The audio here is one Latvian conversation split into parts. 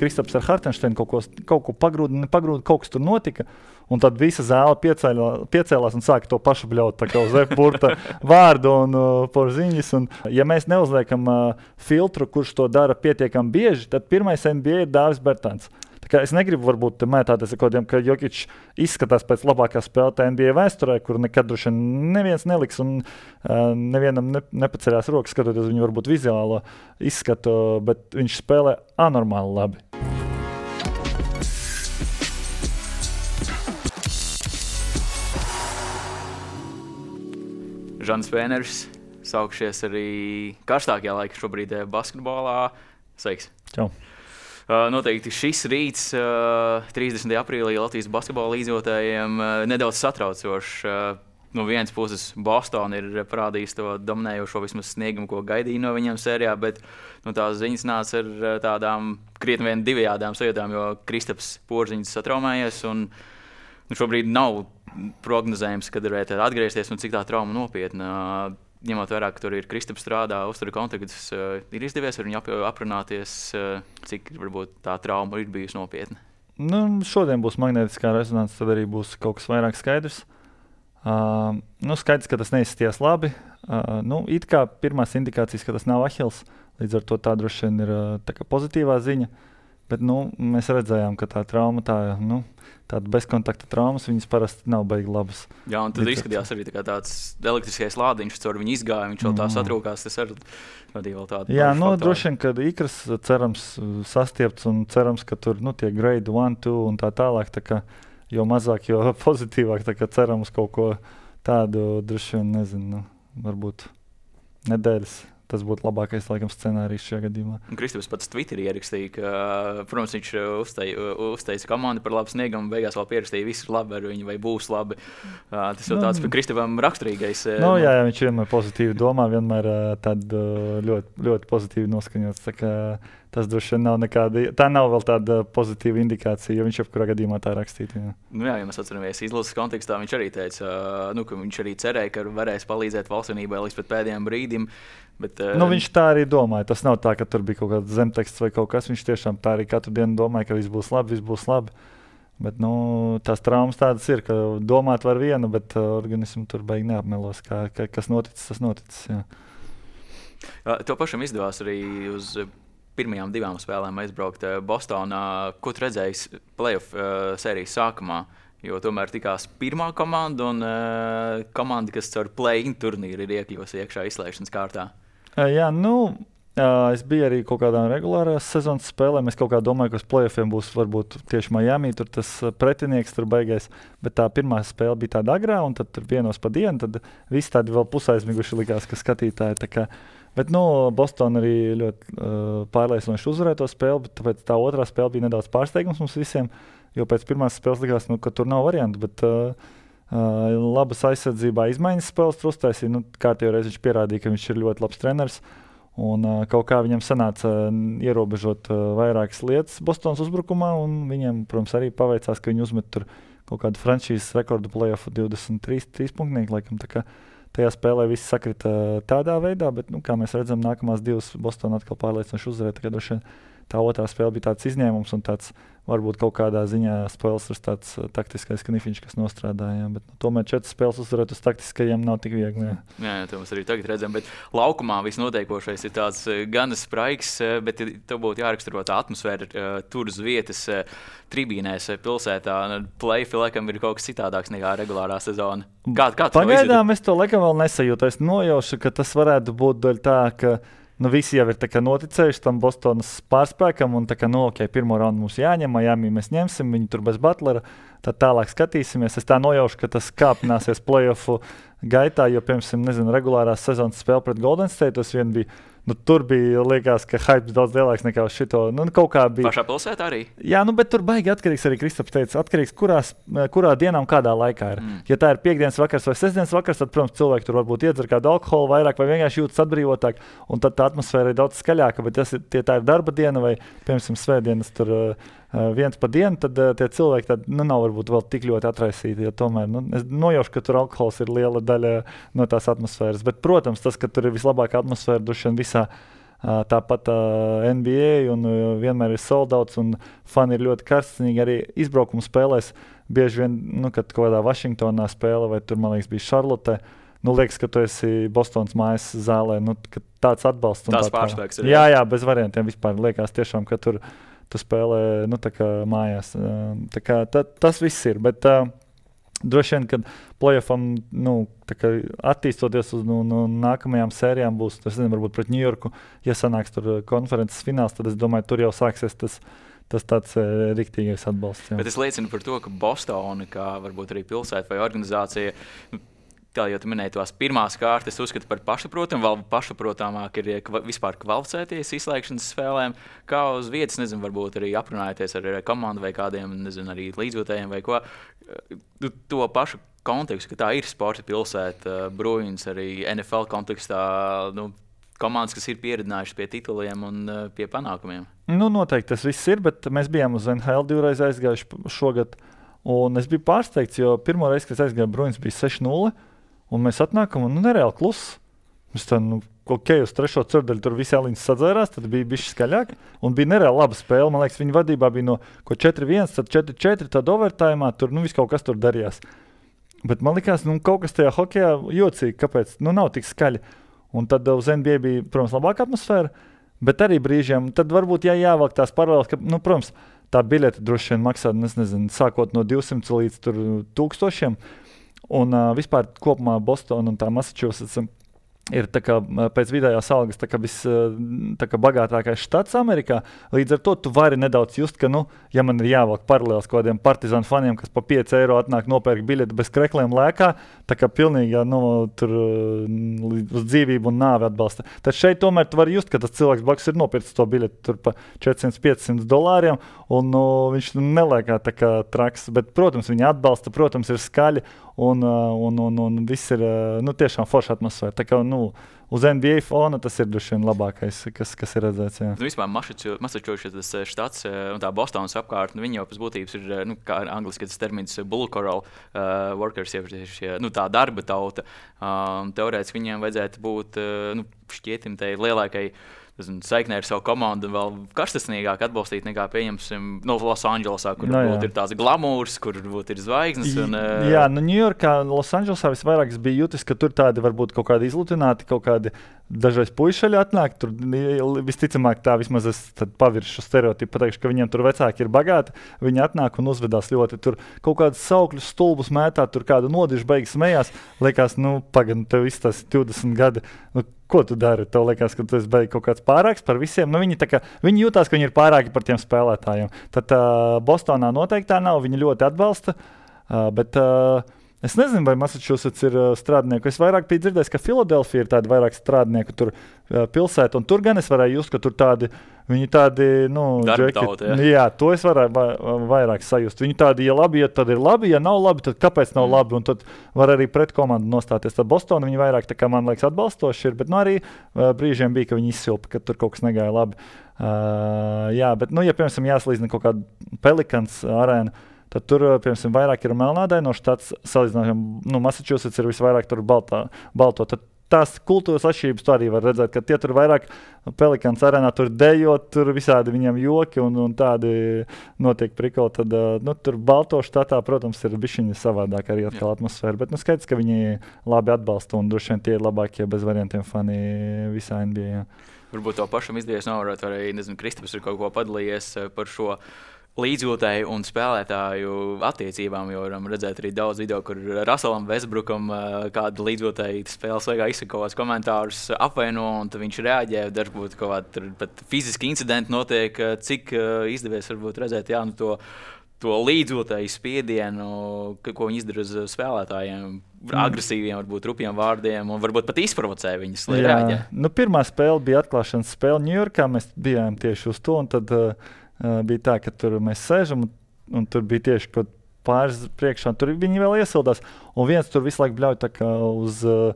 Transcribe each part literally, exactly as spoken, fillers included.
Kristaps ar Hartensteinu kaut ko, kaut ko pagrūda, nepagrūda, kaut kas tur notika, un tad visa zāle piecēlā, piecēlās un sāka to pašu bļaut, tā kā uz F-burta vārdu un uh, porziņas, un ja mēs neuzliekam uh, filtru, kurš to dara pietiekami bieži, tad pirmais N B A ir Dāvis Bertāns. Tā kā es negribu varbūt mētāties ar kodiem, ka Jokić izskatās pēc labākā spēlētāja N B A vēsturē, kur nekad droši neviens neliks un uh, nevienam ne, nepaceļās rokas, skatoties viņu varbūt vizuālo izskatu, bet viņš spēlē anormāli labi. Žants Vēners, saukšies arī karstākajā laika šobrīd basketbolā. Sveiks! Čau! Uh, noteikti šis rīts, uh, trīsdesmitajā aprīlī Latvijas basketbola līdzjotājiem, uh, nedaudz satraucošs. Uh, no vienas puses Boston ir parādījis to dominējošo vismaz sniegumu, ko gaidīja no viņiem sērijā, bet nu, tās ziņas nāca ar uh, tādām krietni vien divējādām sajūtām, jo Kristaps Porziņš satraumējies un nu, šobrīd nav prognozējums, kad varētu atgriezties un cik tā trauma nopietna. Uh, Ņemot vērā, ka tur ir Kristaps strādā, uztura kontaktus, uh, ir izdevies ar viņu ap, aprunāties, uh, cik varbūt tā trauma ir bijusi nopietna? Nu, šodien būs magnētiskā rezonance, tad arī būs kaut kas vairāk skaidrs. Uh, nu, skaidrs, ka tas neizskatījās labi. Uh, nu, it kā pirmās indikācijas, ka tas nav ahils, līdz ar to tā droši vien ir uh, tā kā pozitīvā ziņa. Bet nu, mēs redzējām, ka tā trauma, tā, nu, tāda bezkontakta traumas, viņas parasti nav baigi labas. Jā, un tad izskatījās arī tā kā tāds elektriskais lādiņš, caur viņu izgāja, viņš vēl tā satrūkās, tas arī vadīja vēl tādu. Jā, nu, droši vien, kad ikras cerams sastiepts un cerams, ka tur nu, tie grade one, two un tā tālāk, tā kā, jo mazāk, jo pozitīvāk, tā kā ceram uz kaut ko tādu, droši vien, nezinu, nu, varbūt nedēļas. Tas būtu labākais, laikam, scenārijs šajā gadījumā. Kristaps pats Twitterī ierakstīja, ka, protams, viņš uzteica, uzteica komandu par labu sniegumu, beigās vēl pierakstīja, viss ir labi ar viņu vai būs labi. Tas jau tāds nu, Kristapam raksturīgais. No, jā, jā, viņš vienmēr pozitīvi domā, vienmēr tād ļoti, ļoti pozitīvi noskaņots. Tā kā tas droši vien nav nekāda, tā nav vēl tāda pozitīva indikācija, jo viņš jebkurā gadījumā tā rakstīja. Jā. Nu jā, ja mēs atceramies izlases kontekstā, viņš arī teica, nu, ka viņš arī cerēja, ka varēs palīdzēt valstsvienībai līdz pat pēdējiem brīdim. Bet, nu, viņš tā arī domāja. Tas nav tā, ka tur bija kaut kāds zemteksts vai kaut kas. Viņš tiešām tā arī katru dienu domāja, ka viss būs labi, viss būs labi. Bet nu, tās traumas tādas ir, ka domāt var vienu, bet uh, organismu tur beig neapmelos. Kā, ka, kas noticis, tas noticis. Jā. To pašam izdevās arī uz pirmajām divām spēlēm aizbraukt Bostonā. Ko tu redzēji playoff uh, sērijas sākumā? Jo tomēr tikās pirmā komanda un uh, komanda, kas caur play-in turnīru ir iekļuvusi iekšā izslēgšanas kārtā. Jā, nu, es biju arī kaut kādām regulārās sezonas spēlēm. Es kaut kā domāju, ka uz play-offiem būs varbūt tieši Miami, tur tas pretinieks tur beigais. Bet tā pirmā spēle bija tāda agrā, un tad tur vienos pa dienu, tad visi tādi vēl pusaizmiguši likās, ka skatītāji. Tā kā, bet, nu, Boston arī ļoti uh, pārliecinoši uzvarēja to spēli, bet tāpēc tā otrā spēle bija nedaudz pārsteigums mums visiem, jo pēc pirmās spēles likās, nu, ka tur nav variantu, bet uh, Uh, labas aizsardzībā izmaiņas spēles uztaisīja. Nu, kārtējo reizi viņš pierādīja, ka viņš ir ļoti labs treneris. Un, uh, kaut kā viņam sanāca uh, ierobežot uh, vairākas lietas Bostonas uzbrukumā. Viņiem, protams, arī paveicās, ka viņi uzmet tur kaut kādu franšīzes rekordu play-offu divdesmit trīs punktnieki. Laikam, tā kā tajā spēlē viss sakrita tādā veidā, bet, nu, kā mēs redzam, nākamās divas Bostona atkal pārliecinoši uzvarēja. Tā, tā otrā spēle bija tāds izņēmums un tāds varbūt kaut kādā ziņā spēles ir tāds taktiskais knifiņš, kas nostrādāja. Bet nu, tomēr četras spēles uzvarēt uz taktiskajiem nav tik viegli. Jā, jā, jā to mēs arī tagad redzam. Bet laukumā viss notiekošais ir tāds gan spraigs, bet tev būtu jāraksturo tā atmosfēra tur uz vietas tribīnēs pilsētā. Play-off laikam ir kaut kas citādāks nekā regulārā sezona. Kā, kā Pagaidām es to laikam vēl nesajūtu. Es nojaušu, ka tas varētu būt daļa tā, ka nu, visi jau ir tā kā noticējuši tam Bostonas pārspēkam un tā kā, nu, ok, pirmo raundu mums jāņem, Miami mēs ņemsim, viņi tur bez Butlera, tad tālāk skatīsimies. Es tā nojaušu, ka tas kāpināsies play-offu gaitā, jo, piemēram, nezinu, regulārās sezonas spēle pret Golden State, tas vien bija, nu, tur bija, liekas, ka hypes daudz lielāks nekā uz šito, nu, kaut kā bija. Pašā pilsētā arī? Jā, nu, bet tur baigi atkarīgs arī Kristaps teica, atkarīgs, kurās, kurā dienā un kādā laikā ir. Mm. Ja tā ir piekdienas vakars vai sestdienas vakars, tad, protams, cilvēki tur varbūt iedzer kādu alkoholu vairāk vai vienkārši jūtas atbrīvotāk, un tad tā atmosfēra ir daudz skaļāka, bet tas ir, tie tā ir darba diena vai, piemēram, svētdienas tur uh, viens pa dienu, tad uh, tie cilvēki tad, nu, nav varbūt vēl tik ļoti atraisīti, jo tomēr, nu, es nojaušu, ka tur alkohols ir liela daļa no tās atmosfēras, bet, protams, tas, ka tur ir vislabākā atmosfēra duši vien visā tāpat uh, N B A un uh, vienmēr ir soldauts un fani ir ļoti karstīgi arī izbraukumu spēlēs. Bieži vien, nu, kad kaut kādā Vašingtonā spēle vai tur, man liekas, bija Šarlotē, nu, liekas, ka tu esi Bostonas mājas zālē, nu, ka tāds atbalsts. Tās tā, pārspēks ir. Jā, jā, bez variantiem vispār liekas tiešām, ka tur tu spēlē, nu, tā kā mājās. Tā kā ta, tas viss ir, bet uh, droši vien, kad playoffam, nu, tā kā attīstoties uz nu, nu, nākamajām sērijām būs, es nezinu, varbūt pret Ņujorku, ja sanāks tur konferences fināls, tad es domāju, tur jau sāksies tas, tas tāds e, riktīgais atbalsts. Jā. Bet es liecinu par to, ka Bostona, kā varbūt arī pilsēta vai organizācija, tā jau tu minēji tās pirmās kārtas, uzskatu par pašsaprotamu, vēl pašsaprotamāk ir kva, vispār kvalificēties izslēgšanas spēlēm, kā uz vietas, nezinu, varbūt arī aprunājoties ar komandu vai kādiem, nezinu, arī līdzjūtējiem vai ko. To pašu kontekstu, ka tā ir sporta pilsēta, Bruins arī N F L kontekstā, nu, komandas, kas ir pieredzinājušas pie tituliem un pie panākumiem. Nu, noteikti tas viss ir, bet mēs bijām uz N H L divreiz aizgājuši šogad, un es biju pārsteigts, jo pirmo reizi, kad aizgāju, Bruins bija seši nulle. Un mēs atnākam, un nu, nereāli kluss. Mēs tā, nu, ok, uz trešo ceturdaļu tur visi aliņas sadzērās, tad bija bišķi skaļāk. Un bija nereāli laba spēle. Man liekas, viņa vadībā bija no četri viens, tad četri četri, tad overtājumā tur, nu, viss kaut kas tur darījās. Bet man likās, nu, kaut kas tajā hokejā jocīgi, kāpēc, nu, nav tik skaļi. Un tad uz N B A bija, protams, labāka atmosfēra, bet arī brīžiem, tad varbūt jā, jāvelk tās paralēles, ka, nu, protams, tā biļete droši vien maksā, es nezinu, sākot no divsimt līdz tur tūkstošiem. Un uh, vispār kopumā Bostona un tā Massachusetts ir tā kā, pēc vidējās algas tā kā vis, tā kā bagātākais štats Amerikā. Līdz ar to tu vari nedaudz just, ka, nu, ja man ir jāvelk paralēls kaut kādiem partizānu faniem, kas pa pieci eiro atnāk nopērk biļeti bez krekliem lēkā, tā kā pilnīgi, nu, tur uz dzīvību un nāvi atbalsta. Tad šeit tomēr tu vari just, ka tas cilvēks blakus ir nopircis to biļeti tur pa četrsimt piecsimt dolāriem, un nu, viņš nelēkā tā kā traks. Bet, protams, viņi atbalsta, protams, ir skaļi, un, un, un, un viss ir, nu, tiešām forša atmosfēra. Tā kā, nu, uz N B A fona tas ir droši vien labākais, kas, kas ir redzēts. Jā. Nu, vispār Massachusetts štats un tā Bostonas apkārt, nu, viņi jau pēc būtības ir, nu, kā angliski tas termins blue collar uh, workers, ja, nu, tā darba tauta. Um, teorētiski viņiem vajadzētu būt, uh, nu, šķietim tai lielākai saiknē ar savu komandu un vēl karstasnīgāk atbalstīt nekā, pieņemsim, no Losandželosā, kur no, ir tāds glamūrs, kur ir zvaigznes. Un, uh... Jā, nu Ņujorkā, Losandželosā visvairāk es biju jutis, ka tur tādi varbūt kaut kādi izlutināti, kaut kādi dažreiz puišaļi atnāk. Tur visticamāk tā vismaz es paviršu stereotipu, pateikšu, ka viņiem tur vecāki ir bagāti. Viņi atnāk un uzvedās ļoti. Tur kaut kādus saukļus stulbus mētā, tur kādu nodišu beigas smējās. Liekas, nu, pagaid, tev viss tas divdesmit gadi. Nu, ko tu dari? Tev liekas, ka tu esi beig kaut kāds pārāks par visiem. Nu, viņi, tā kā, viņi jūtās, ka viņi ir pārāki par tiem spēlētājiem. Tad uh, Bostonā noteikti tā nav. Viņi ļoti atbalsta. Uh, bet uh, es nezinu, vai Massachusetts ir uh, strādnieku. Es vairāk biju dzirdējis, ka Filadelfija ir tādi vairāk strādnieku tur uh, pilsēta. Un tur gan es varēju just, ka tur tādi, viņi tādi, nu, džeki. Jā. jā, to es varēju va vairāk sajust. Viņi tādi, ja labi, ja tad ir labi, ja nav labi, tad kāpēc nav mm. labi? Un tad var arī pret komandu nostāties. Tad Bostona viņi vairāk, tā kā man liekas, atbalstoši ir, bet nu arī uh, brīžiem bija, ka viņi izsilpa, ka tur kaut kas negāja labi. Uh, jā, bet, nu, ja, piemēram, jāslīdzina kaut kāda Pelikans arēna, tad tur, piemēram, vairāk ir melnādaino štats, salīdzinājumā, nu, Massachusetts ir visvairāk tur baltā, balto. Tad tās kultūras atšķirības tu arī var redzēt, ka tie tur vairāk Pelikans arēnā tur dejot, tur visādi viņiem joki un, un tādi notiek prikoli. Tad, nu, tur balto štatā, protams, ir bišķiņa savādāk arī atkal Jā. Atmosfēra, bet, nu, skaidrs, ka viņi labi atbalsta un droši vien tie ir labākie bez variantiem fani visā N B A. Jā. Varbūt to pašam izdevies novērot, arī, nezinu, Kristaps ir kaut ko padalījies par šo līdzjūtēju un spēlētāju attiecībām, jo varam redzēt arī daudz video, kur Russellam Westbrookam kāda līdzjūtēji spēles laikā izsaka kaut kādus komentārus apvaino, un tad viņš reaģē, dažbūt kaut kādi pat fiziski incidenti notiek, cik izdevies varbūt redzēt, jā, nu to, to līdzjūtēju spiedienu, ko viņi izdara uz spēlētājiem, mm. agresīviem, varbūt rupjiem vārdiem, un varbūt pat izprovocē viņus, lai reaģē. Nu, pirmā spēle bija atklāšanas spēle Ņujorkā, mēs bijām tieši uz to, un tad Uh, bija tā, ka tur mēs sēžam, un, un tur bija tieši kaut pāris priekšā, un tur viņi vēl iesildās, un viens tur visu laiku bļauj tā kā uz uh,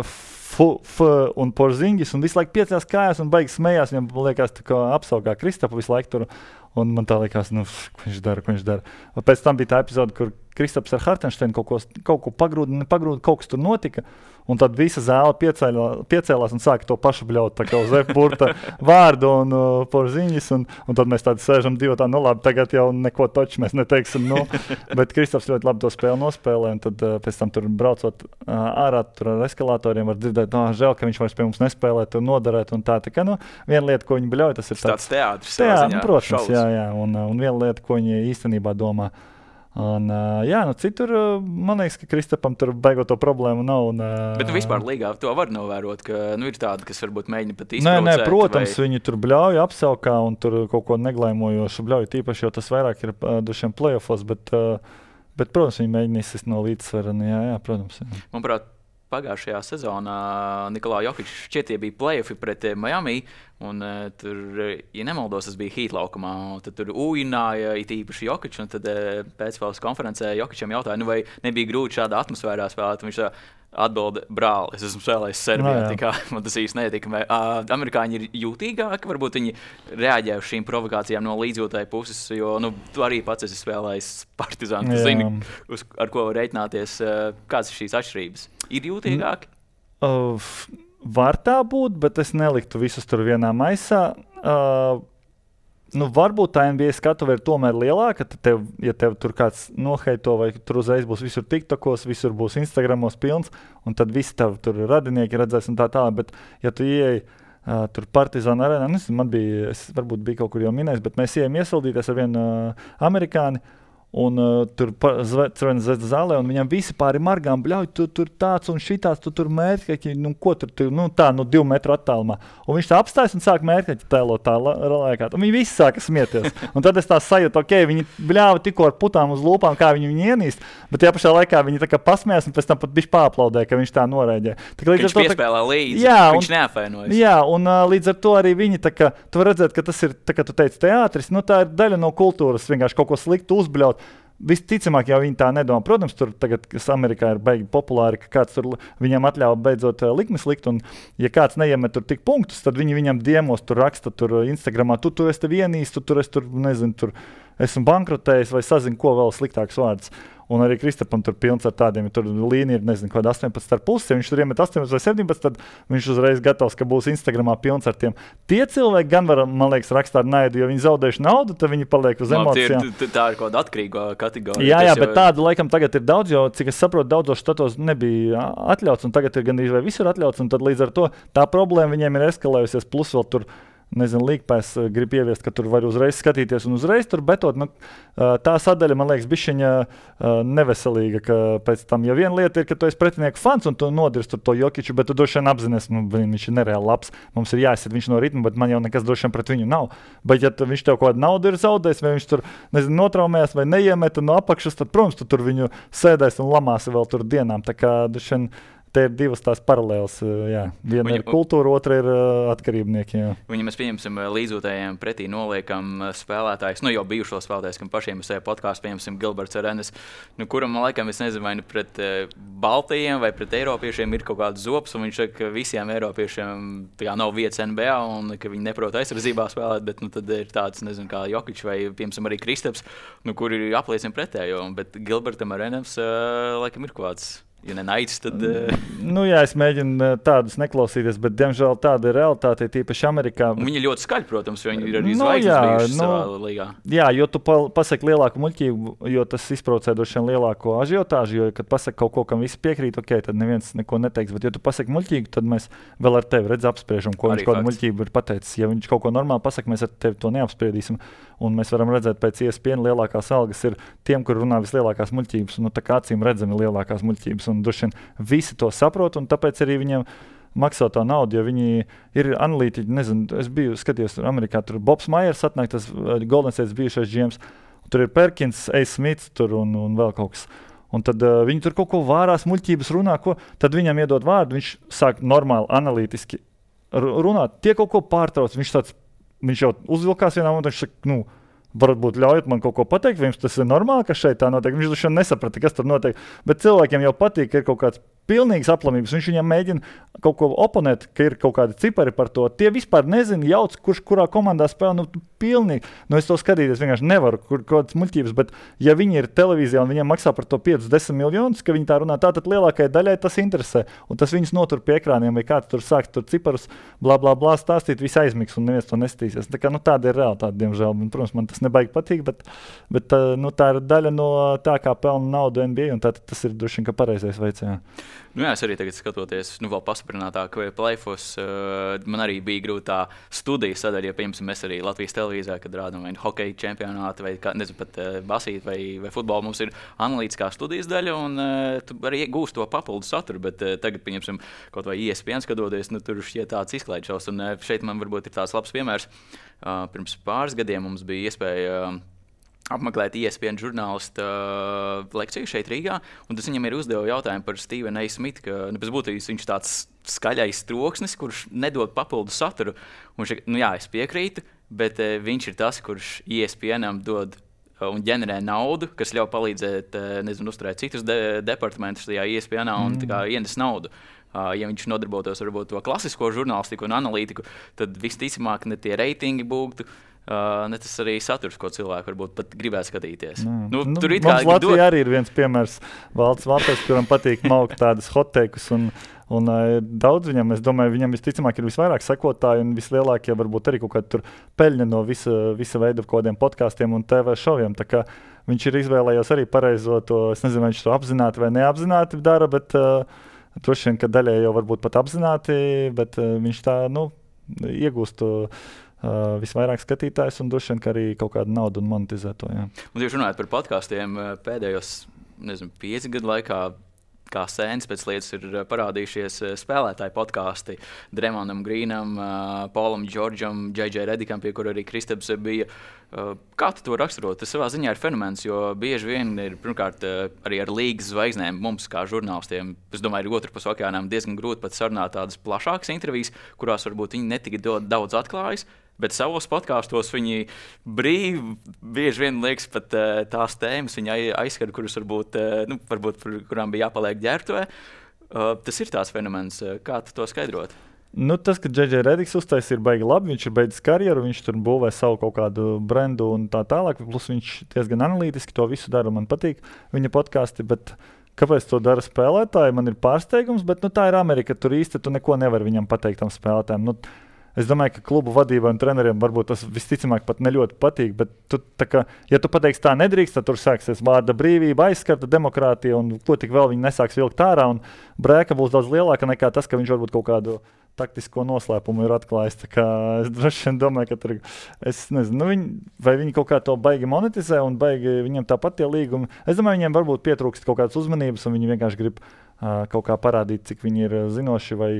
F, F un Porzingis, un visu laiku piecās kājās un beigas smējās, viņam liekas tā kā apsaugā Kristapu visu laiku tur, un man tā liekas, nu, ko viņš dara, ko viņš dara. Pēc tam bija tā epizode, kur Kristaps ar Hartensteinu kaut ko, kaut ko pagrūda, nepagrūda, kaut kas tur notika, Un tad visa zāle piecēlā, piecēlās un sāka to pašu bļaut, tā kā uz F-burta vārdu un uh, porziņas. Un, un tad mēs tādi sēžam divi tā, nu labi, tagad jau neko toču mēs neteiksim. Nu. Bet Kristofs ļoti labi to spēli nospēlē. Un tad uh, pēc tam tur braucot uh, ārā tur ar eskalatoriem var dzirdēt, no, žēl, ka viņš vairs pie mums nespēlē, tur noderēt. Un tā, tā kā, nu, viena lieta, ko viņi bļauj, tas ir tāds, tāds teātris. Jā, ziņā, protams, šaus. jā, jā. Un, un viena lieta, ko viņi īstenībā domā. Un, uh, jā, nu citur, uh, man liekas, ka Kristapam tur beigot to problēmu nav. Un, uh, Bet nu, vispār līgā to var novērot, ka nu, ir tādi, kas varbūt mēģina pat Nē, izprovocēt. nē, protams, vai... viņi tur bļauj apsaukā un tur kaut ko neglaimojošu bļauj. Tīpaši, jo tas vairāk ir uh, dušiem playoffos, bet, uh, bet, protams, viņi mēģina izsist no līdzsvera. Jā, jā, protams. Jā. Manuprāt, pagājušajā sezonā Nikolā Jokičs šķiet, bija play-offi pret Miami. Un, uh, tur, ja nemaldos, tas bija Heat laukumā. Tad tur ūjināja it īpaši Jokičs. Tad uh, pēcspēles konferencē Jokičam jautāja, nu, vai nebija grūti šādā atmosfērā spēlēt. Viņš tā atbilda, brāl, es esmu spēlējis Serbijā. No, kā, man tas īsti netika. Uh, amerikāņi ir jūtīgāki. Varbūt viņi reaģē uz šīm provokācijām no līdzjūtāju puses. Jo nu, tu arī pats esi spēlējis Partizānu. Tu zini, uz, ar ko var reiķināties. Uh, kādas ir šīs atšķirības? Ir jūtīgāki? Uh, Var tā būt, bet es neliktu visus tur vienā maisā. Uh, nu, varbūt tā N B A skatuve ir tomēr lielāka. Tev, ja tev tur kāds noheito, vai tur uzreiz būs visur TikTokos, visur būs Instagramos pilns, un tad visi tavi tur radinieki redzēs un tā tālāk. Bet, ja tu ieej uh, tur Partizāna arēnā, nezinu, man bija, es varbūt biju kaut kur jau minējis, bet mēs ejam iesildīties ar vienu uh, amerikāni. Un uh, tur Crvenas zvezdas zālē, un viņam visi pāri margām bļauj, tu tur tāds un šitāds, tu tur mērķi, nu ko tur, tu, nu tā, nu divu metru attālumā. Un viņš tā apstājas un sāk mērķi tēlot tā laikā. Un viņi visi sāka smieties. Un tad es tā sajūtu, ok, viņi bļāva tikko ar putām uz lūpām, kā viņi viņu ienīst, bet tajā pašā laikā viņi tā kā pasmējās un pēc tam pat bišķi pāplaudē, ka viņš tā noraidē. Viņš to, piespēlē līdzi, jā, viņš neapvainojas. Jā, un uh, līdz ar to arī viņi tā kā, tu var redzēt, ka tas ir, tā kā tu teici, teātris, nu tā ir daļa no kultūras, vienkārši kaut ko sliktu uzbļaut. Visticamāk, jau viņi tā nedomā. Protams, tur tagad, kas Amerikā ir beigi populāri, ka kāds tur viņam atļauj beidzot uh, likmes likt, un ja kāds neiemet tur tik punktus, tad viņi viņam diemos tur raksta tur Instagramā, tu tur esi vienīs, tu tur esi tur, nezinu, tur esmu bankrotējis vai sazinu, ko vēl sliktāks vārds. Un arī Kristapam tur pilns ar tādiem, ja tur līnija ir, nezinu, kaut kāda astoņpadsmit ar pusi, ja viņš tur iemet astoņpadsmit vai septiņpadsmit, tad viņš uzreiz gatavs, ka būs Instagramā pilns ar tiem. Tie cilvēki gan var, man liekas, rakstīt ar naidu, jo viņi zaudējuši naudu, tad viņi paliek uz emocijām. Ir, tā ir kaut kāda atkarīga kategorija. Jā, jā, bet jau... tādu laikam tagad ir daudz, jo, cik es saprotu, daudzos štatos nebija atļauts, un tagad ir gandrīz vai visur atļauts, un tad līdz ar to tā problēma viņiem ir eskalējusies, plus vēl tur, nezinu, līgpēs grib ieviest, ka tur var uzreiz skatīties un uzreiz tur betot. Nu, tā sadaļa, man liekas, bišķiņa neveselīga, ka pēc tam, ja viena lieta ir, ka tu esi pretinieku fans un tu nodirst to Jokiču, bet tu droši vien apzinies, nu, viņš ir nereāli labs, mums ir jāizsit viņš no ritma, bet man jau nekas droši vien pret viņu nav. Bet ja tu, viņš tev kaut kādu naudu ir zaudējis, vai viņš tur, nezinu, notraumējās vai neiemeta no apakšas, tad, protams, tu tur viņu sēdēs un lamāsi vēl tur dienām. Tā kā droši vien te ir divas tās paralēlas. Jā. Viena Viņa, ir kultūra, otra ir uh, atkarībnieki. Jā. Viņa mēs pieņemsim līdzjūtējiem pretī noliekam spēlētājs, nu jau bijušo spēlētājs, kam pašiem uz sevi podkāstu pieņemsim Gilberts Arenas, nu, kuram, man laikam, es nezinu, vai nu pret uh, Baltijiem vai pret Eiropiešiem ir kaut kāds zops, un viņš saka, ka visiem Eiropiešiem tā kā nav vietas N B A, un ka viņi neprot aizsardzībā spēlēt, bet nu, tad ir tāds, nezinu, kā Jokičs vai, piemēram, arī Kristaps, nu, kuri apliecina pretējo, bet Gilbertam Arenas, uh, laikam, ir kaut kāds. Ja nenaids, tad... Uh... Nu jā, es mēģinu tādus neklausīties, bet, diemžēl, tāda ir realitāte, tīpaši Amerikā. Un viņi ļoti skaļi, protams, jo viņi ir arī zvaigznes no, bijušas no, savā līgā. Jā, jo tu pa, pasaki lielāku muļķību, jo tas izprovocē droši vien lielāko ažiotāžu, jo, kad pasaki kaut ko, kam visi piekrīt, ok, tad neviens neko neteiks, bet, ja tu pasaki muļķīgu, tad mēs vēl ar tevi redz apspriežam, ko arī viņš kādu muļķību ir pateicis. Ja viņš kaut ko normāli pasaka, mēs ar tevi to neapspriedīsim, un mēs varam redzēt pēc E S P N lielākās algas ir tiem, kur runā vislielākās muļķības, un nu, tā kā acīm redzami lielākās muļķības. Un droši vien visi to saprot, un tāpēc arī viņiem maksā to naudu, jo viņi ir analītiķi. Nezinu, es biju skatījos Amerikā, tur Bobs Maiers atnāk, tas Golden State bijušais G Ms, tur ir Perkins, A. Smits tur un, un vēl kaut kas. Un tad uh, viņi tur kaut ko vārās, muļķības runā, ko, tad viņam iedod vārdu, viņš sāk normāli, analītiski runāt, tie kaut ko pārtrauc, viņš tāds, viņš jau uzvilkās vienā momentā, viņš saka, nu, varbūt ļaujot man kaut ko pateikt, vai jums tas ir normāli, ka šeit tā notiek. Viņš droši vien nesaprata, kas tur notiek, bet cilvēkiem jau patīk, ka ir kaut kāds pilnīgas aplamības. Viņš viņam mēģina kaut ko oponēt, ka ir kaut kādi cipari par to. Tie vispār nezina, jauc, kurš kurā komandā spēlē. Nu, pilnīgi. Nu, es to skatīties vienkārši nevaru, kur kādas muļķības, bet ja viņi ir televīzijā un viņiem maksā par to piecus desmit miljonus, ka viņi tā runā, tā tad lielākajai daļai tas interesē. Un tas viņus notur pie ekrāniem, vai kāds tur sāks tur ciparus, blā, blā, blā, stāstīt, viss aizmigs un neviens to nestīsies. Tā kā, nu, tāda ir realitāte, diemžēl. Un, protams, man tas nebaigi patīk, bet, bet nu, tā ir daļa no tā, kā pelna naudu N B A, un tā, tas ir droši vien, ka pareizais veids. Jā. Nu jā, es arī tagad skatoties, nu vēl pastiprinātāk play-offs, uh, man arī bija grūti tā studijas sadaļa, ja, piemēram, mēs arī Latvijas televīzijā, kad rādām vai hokeja čempionātu, vai, kā, nezinu, pat uh, basīt, vai, vai futbolu, mums ir analītiskā studijas daļa, un uh, tu arī gūst to papildu saturu, bet uh, tagad, piemēram, kaut vai E S P N skatoties, nu tur šķiet tāds izklaidšaus, un uh, šeit man varbūt ir tāds labs piemērs. Uh, pirms pāris gadiem mums bija iespēja uh, apmeklēt E S P N žurnālistu uh, lekciju šeit Rīgā, un tas viņam ir uzdeva jautājumu par Stevenu A. Smithu, ka nu, pēc būtības viņš tāds skaļais troksnis, kurš nedod papildu saturu. Un viņš, nu jā, es piekrītu, bet uh, viņš ir tas, kurš E S P N-am dod uh, un ģenerē naudu, kas ļauj palīdzēt, uh, nezinu, uzturēt citus de- departamentus tajā E S P N-ā un mm. tā kā ienes naudu. Uh, ja viņš nodarbotos varbūt to klasisko žurnālistiku un analītiku, tad visticamāk ne tie reitingi būtu. Uh, ne tas arī saturs, ko cilvēki varbūt pat gribētu skatīties. Mm. Nu, nu, tur mums Latvijā dod... arī ir viens piemērs Valds Valters, kuram patīk maukt tādas hotteikus, un, un uh, daudz viņam, es domāju, viņam visticamāk ir visvairāk sekotāji un vislielākie varbūt arī kaut kādi tur peļņa no visa, visa veida kaut kādiem podkāstiem un T V šoviem. Tā kā viņš ir izvēlējies arī pareizo to, es nezinu, vai viņš to apzināti vai neapzināti dara, bet uh, droši vien, ka daļai jau varbūt pat apzināti, bet uh, viņš tā, nu, iegūst to Uh, visvairāk skatītājs un droši vien, ka arī kaut kādu naudu un monetizē to. Jā. Un tieši runājot par podkāstiem, pēdējos, nezinu, pieci gadu laikā, kā sēnes pēc lietas ir parādījušies spēlētāju podkāsti Dremondam Greenam, Paulam Džordžam, J J Redikam, pie kura arī Kristaps bija. Kā tu to raksturot? Tas savā ziņā ir fenomens, jo bieži vien ir, pirmkārt, arī ar līgas zvaigznēm mums kā žurnālistiem, es domāju, ir otru pus okeānām diezgan grūti pat sarunāt tādas plašākas intervijas, kurās varbūt viņi netika daudz atklājas, bet savos podkāstos viņi brīvi, bieži vien liekas pat uh, tās tēmas, viņi aizskar, kuras varbūt, uh, nu, varbūt par kurām bija jāpaliek ģērbtuvē. Uh, tas ir tās fenomens. Kā tu to skaidrot? Nu, tas, ka J J Rediks uztaisīja, ir baigi labi. Viņš ir beidzis karjeru, viņš tur būvē savu kaut kādu brendu un tā tālāk. Plus viņš diezgan analītiski to visu dara. Man patīk viņa podkāsti, bet kāpēc to dara spēlētāji? Man ir pārsteigums, bet nu, tā ir Amerika. Tur īsti tu neko nevar viņam pateikt tam spēlētājiem. Nu, es domāju, ka klubu vadībai un treneriem varbūt tas visticamāk pat ne ļoti patīk, bet tu, tā kā, ja tu pateiksi tā nedrīkst, tad tur sāksies vārda brīvība, aizskarta demokrātija un ko tik vēl viņi nesāks vilkt ārā, un brēka būs daudz lielāka nekā tas, ka viņš varbūt kaut kādu taktisko noslēpumu ir atklājis. Tā kā es droši vien domāju, ka tur, es nezinu, nu viņi, vai viņi kaut kā to baigi monetizē un baigi viņiem tāpat tie līgumi. Es domāju, viņiem varbūt pietrūkst kaut kādas uzmanības un viņi vienkārši grib uh, kaut kā parādīt, cik viņi ir zinoši vai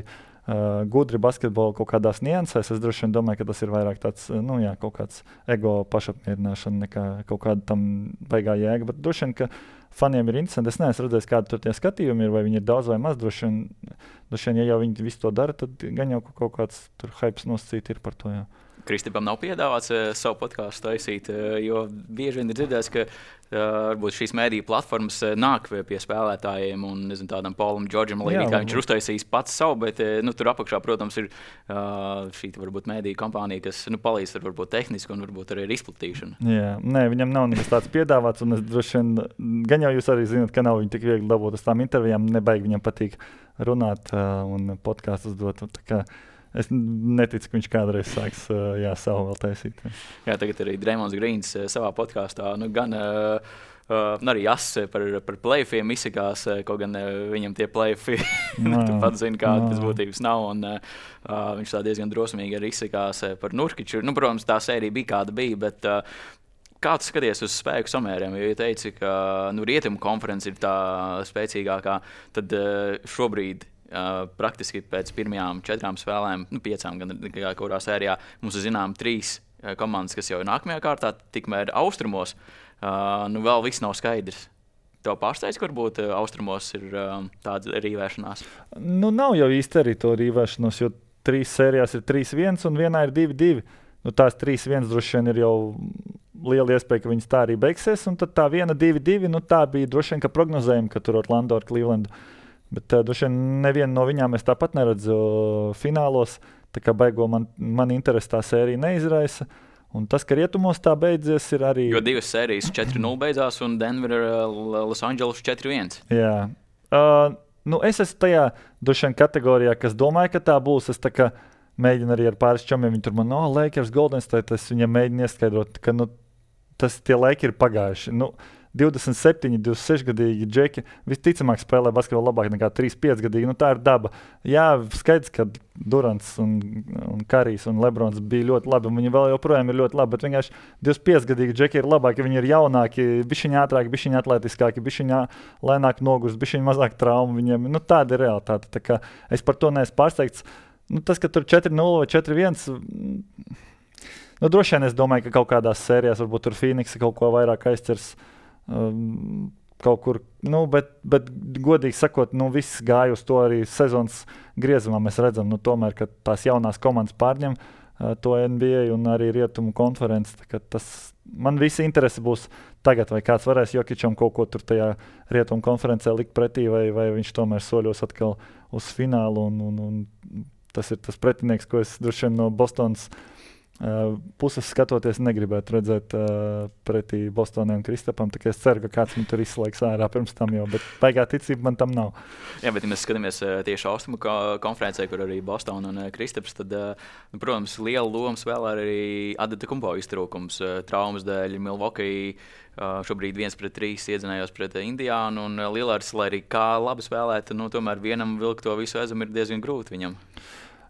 Uh, gudri basketbolu kaut kādās niansēs. Es droši vien domāju, ka tas ir vairāk tāds, nu jā, kaut kāds ego pašapmierināšana nekā kaut kāda tam baigā jēga, bet droši vien, ka faniem ir interesanti. Es neesmu redzējis, kādi tur tie skatījumi ir, vai viņi ir daudz vai maz. Droši vien, droši vien ja jau viņi visu to dara, tad gan jau kaut kāds tur hypes nosacīt ir par to, jā. Kristipam nav piedāvāts uh, savu podkāstu taisīt, uh, jo bieži vien ir dzirdēts, ka uh, varbūt šīs mēdīju platformas uh, nāk pie spēlētājiem un nezinu, tādam Paulam Džordžam, līdz kā viņš ir uztaisījis pats savu, bet uh, nu, tur apakšā, protams, ir uh, šī varbūt mēdīju kompānija, kas nu, palīdz ar varbūt tehnisku un varbūt arī ar izplatīšanu. Jā, nē, viņam nav nekas tāds piedāvāts, un es droši vien, gan jau jūs arī zināt, ka nav viņi tik viegli dabūt uz tām intervijām, nebaigi viņam patīk runāt uh, un podkāstus dot. Tā kā es neticu, ka viņš kādreiz sāks jā, savu vēl taisīt. Jā, jā tagad arī Dremonds Greens savā podkāstā nu, gan uh, uh, arī Jas par, par play-offiem izsakās, kaut gan uh, viņam tie play-offi nu, tu pats zini, kāda tas būtības nav. Un, uh, viņš tā diezgan drosmīgi arī izsakās par Nurkiču. Nu, protams, tā sērija bija kāda bija, bet uh, kā tu skaties uz spēku samēriem? Jo, ja teici, ka nu, Rietumu konference ir tā spēcīgākā, tad uh, šobrīd Uh, praktiski pēc pirmajām četrām spēlēm, nu piecām, gan kurā sērijā, mums ir zinām trīs uh, komandas, kas jau ir nākamajā kārtā, tikmēr austrumos, uh, nu vēl viss nav skaidrs. Tev pārsteidz, ka varbūt uh, austrumos ir uh, tāda rīvēšanās? Nu nav jau īsti arī to rīvēšanos, jo trīs sērijās ir trīs viens un vienā ir divi divi. Nu tās trīs viens droši vien ir jau liela iespēja, ka viņas tā arī beigsies, un tad tā viena divi divi, nu tā bija droši vien, ka prognozējumi, ka tur Orlando ar Clevelandu Bet uh, droši vien nevienu no viņām es tāpat neredzu finālos. Tā kā beigo man, man interesi tā sērija neizraisa. Un tas, ka rietumos tā beidzies, ir arī... Jo divas sērijas četri nulle beidzās un Denver, uh, Los Angeles četri viens. Jā. Uh, nu es esmu tajā droši vien kategorijā, kas domāju, ka tā būs. Es tā kā mēģinu arī ar pāris čomiem. Viņi tur man, no, Lakers, Golden State, es viņiem mēģinu ieskaidrot, ka nu, tas tie laiki ir pagājuši. Nu, divdesmit septiņi, divdesmit seši gadīgi džeki visticamāk spēlē basketbolu labāk nekā trīsdesmit pieci gadīgi. Nu, tā ir daba. Jā, skaidrs, ka Durants un, un Karijs un Lebrons bija ļoti labi, un viņi vēl joprojām ir ļoti labi, bet vienkārši divdesmit pieci gadīgi džeki ir labāki, viņi ir jaunāki, bišķiņi ātrāki, bišķiņi atletiskāki, bišķiņi lēnāk nogurst, bišķiņi mazāk traumu viņiem. Nu, tāda ir realitāte. Tā kā es par to neesmu pārsteigts. Nu, tas, ka tur četri nulle vai četri viens, nu, droši vien es domāju, ka kaut kādās sērijās varbūt tur Phoenix kaut ko vairāk aizcers. Um, kaut kur, nu, bet, bet godīgi sakot, nu, viss gāja uz to arī sezonas griezumā. Mēs redzam, nu, tomēr, ka tās jaunās komandas pārņem uh, to N B A un arī Rietumu konferenci. Tas, man visi interesi būs tagad, vai kāds varēs Jokičam kaut ko tur tajā Rietumu konferencē likt pretī, vai, vai viņš tomēr soļos atkal uz finālu. Un, un, un tas ir tas pretinieks, ko es droši vien no Bostonas Uh, puses skatoties, negribētu redzēt uh, pretī Bostonai un Kristapam. Es ceru, ka kāds man tur izslēgs ārā pirms tam jau, bet baigā ticība man tam nav. Jā, bet ja mēs skatāmies uh, tieši austrumu konferencē, kur arī Bostona un uh, Kristaps, tad, uh, nu, protams, liela loma spēlē arī Antetokounmpo iztrūkums. Uh, traumas dēļ Milwaukee uh, šobrīd viens pret trīs iedzinājās pret uh, Indiānu, un uh, Lillards, lai arī kā labi spēlētu, nu, tomēr vienam vilkt to visu aizam ir diezgan grūti viņam.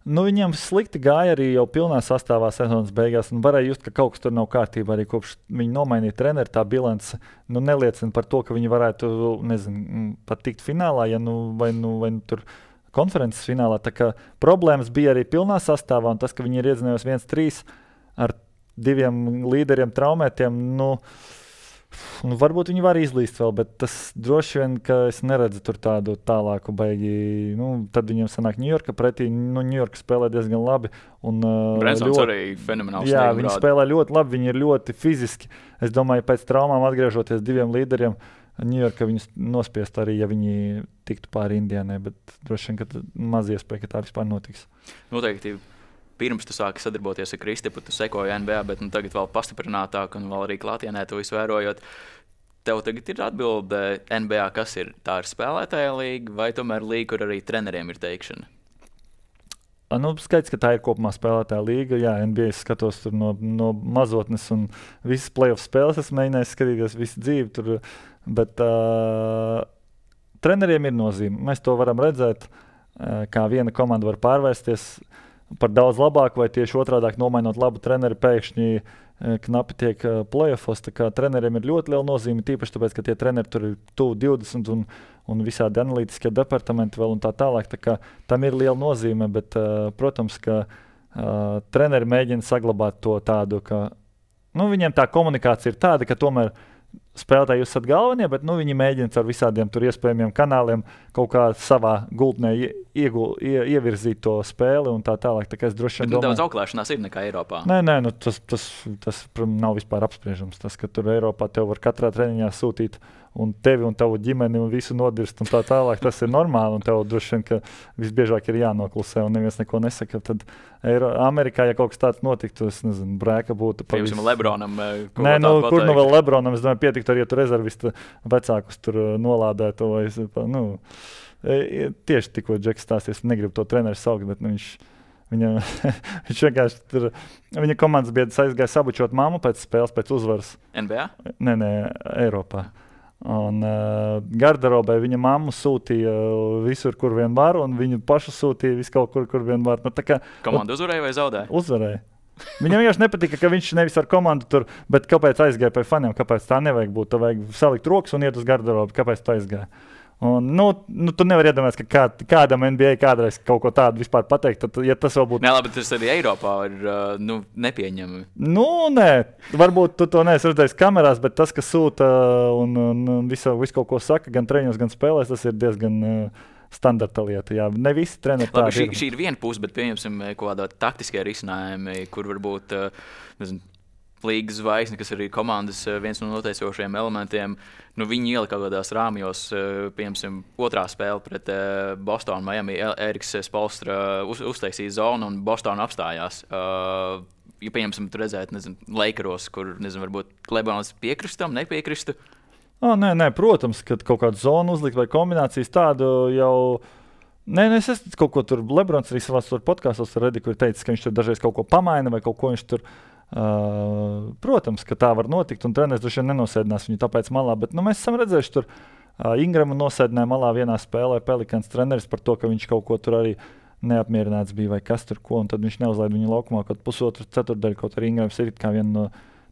Nu, viņam slikti gāja arī jau pilnā sastāvā sezonas beigās. Varēja just, ka kaut kas tur nav kārtībā. Arī kopš viņi nomainīja treneri, tā bilance nu, neliecina par to, ka viņi varētu nezinu, pat tikt finālā, ja nu, vai, nu, vai nu tur konferences finālā. Tā kā problēmas bija arī pilnā sastāvā, un tas, ka viņi ir iedzinājos viens trīs ar diviem līderiem traumētiem, nu, nu, varbūt viņi var izlīst vēl, bet tas droši vien, ka es neredzu tur tādu tālāku baigi. Nu, tad viņiem sanāk Ņujorka pretī. Nu, Ņujorka spēlē diezgan labi. Brensons uh, arī fenomenāls. Jā, viņi spēlē ļoti labi, viņi ir ļoti fiziski. Es domāju, pēc traumām atgriežoties diviem līderiem, Ņujorka viņus nospiest arī, ja viņi tiktu pāri Indiānai, bet droši vien, ka maz iespēja, ka tā vispār notiks. Noteikti. Pirms tu sāki sadarboties ar Kristapu, tu sekoji N B A, bet nu, tagad vēl pastiprinātāk un vēl arī klātienē to visu vērojot. Tev tagad ir atbilde N B A, kas ir? Tā ir spēlētāja līga vai tomēr līga, kur arī treneriem ir teikšana? Nu, skaidrs, ka tā ir kopumā spēlētāja līga. Jā, N B A skatos tur no, no mazotnes un visas playoff spēles. Es mēģināju skatīties visu dzīvi tur, bet uh, treneriem ir nozīme. Mēs to varam redzēt, uh, kā viena komanda var pārvērsties par daudz labāku, vai tieši otrādāk nomainot labu treneri, pēkšņi e, knapi tiek e, playoffos. Tā kā treneriem ir ļoti liela nozīme, tīpaši tāpēc, ka tie treneri tur ir tuvu divdesmit un, un visādi analītiskie departamenti vēl un tā tālāk. Tā kā tam ir liela nozīme, bet, e, protams, ka e, treneri mēģina saglabāt to tādu, ka nu, viņiem tā komunikācija ir tāda, ka tomēr spēlētāji jūs esat galvenie, bet nu, viņi mēģina ar visādiem tur iespējamiem kanāliem kaut kā savā gultnē iegul, ie, ievirzīt to spēli un tā tālāk. Tā kā es droši vien domāju... Daudz auklēšanās ir nekā Eiropā. Nē, nē, nu, tas, tas, tas nav vispār apspriežams. Tas, ka tur Eiropā tev var katrā treniņā sūtīt un tevi un tavu ģimeni un visu nodirst un tā tālāk, tas ir normāli un tev droši vien, ka visbiežāk ir jānoklusē un neviens neko nesaka. Tad Eiro, Amerikā, ja kaut kas tāds notiktu, es nezinu, brēka būtu. Piemēram, visu... Lebronam. Nē, nu, kur nu vēl Lebronam, es domāju, pietiktu arī, ja tu rezervistu vecākus tur nolādētu vai, nu, tieši tikko Džeks stāsties, negribu to treneru saukt, bet nu, viņš Viņa, viņš vienkārši tur, viņa komandas biedrs aizgāja sabučot mammu pēc spēles, pēc uzvaras. N B A? Nē, nē, Eiropā. Un uh, garderobē viņa mammu sūtīja visur, kur vien var, un viņu pašu sūtīja visu kaut kur, kur vien var. Nu, tā kā, komanda uzvarēja vai zaudēja? Uzvarēja. Viņam vienkārši nepatika, ka viņš nevis ar komandu tur, bet kāpēc aizgāja pie faniem, kāpēc tā nevajag būt. Tā vajag salikt rokas un iet uz garderobu, kāpēc tā aizgāja. Un, nu, nu, tu nevari iedomāties, ka kā, kādam N B A kādreiz kaut ko tādu vispār pateikt. Tad, ja tas vēl būtu. Nē, labi, tas arī Eiropā ir uh, nu, nepieņemami. Nu, nē, varbūt tu to neesi redzējis kamerās, bet tas, kas sūta un, un, un visu, visu kaut ko saka, gan treniņos, gan spēlēs, tas ir diezgan uh, standarta lieta. Jā, ne visi treneri tādi šī, ir. Šī ir viena puse, bet pieņemsim kaut kādā taktiskie risinājumi, kur varbūt, uh, nezinu, līgas zvaigzne, kas arī komandas viens no noteicošajiem elementiem, nu, viņi ielika kaut kādās rāmjos, piemēram, otrā spēle pret Bostonu, Miami, Eriks Spolstra uz, uztaisīja zonu un Bostonu apstājās. Uh, ja, piemēram, tu redzētu, nezinu, Lakeros, kur, nezinu, varbūt Lebrons piekristam, nepiekristu? Oh, nē, nē, protams, kad kaut kādu zonu uzlikt vai kombinācijas tādu jau... Nē, nē, es esmu kaut ko tur, Lebrons arī savās podkāstos redzi, kur teicis, ka viņš tur dažreiz kaut ko pamaina vai kaut ko viņš tur... Uh, protams, ka tā var notikt, un treneris droši vien nenosēdinās viņu tāpēc malā, bet nu, mēs esam redzējuši tur uh, Ingramu nosēdināja malā vienā spēlē Pelikans treneris par to, ka viņš kaut ko tur arī neapmierināts bija vai kas tur ko, un tad viņš neuzlaid viņu laukumā kaut pusotru ceturtdaļu, kaut arī Ingrams ir kā viena no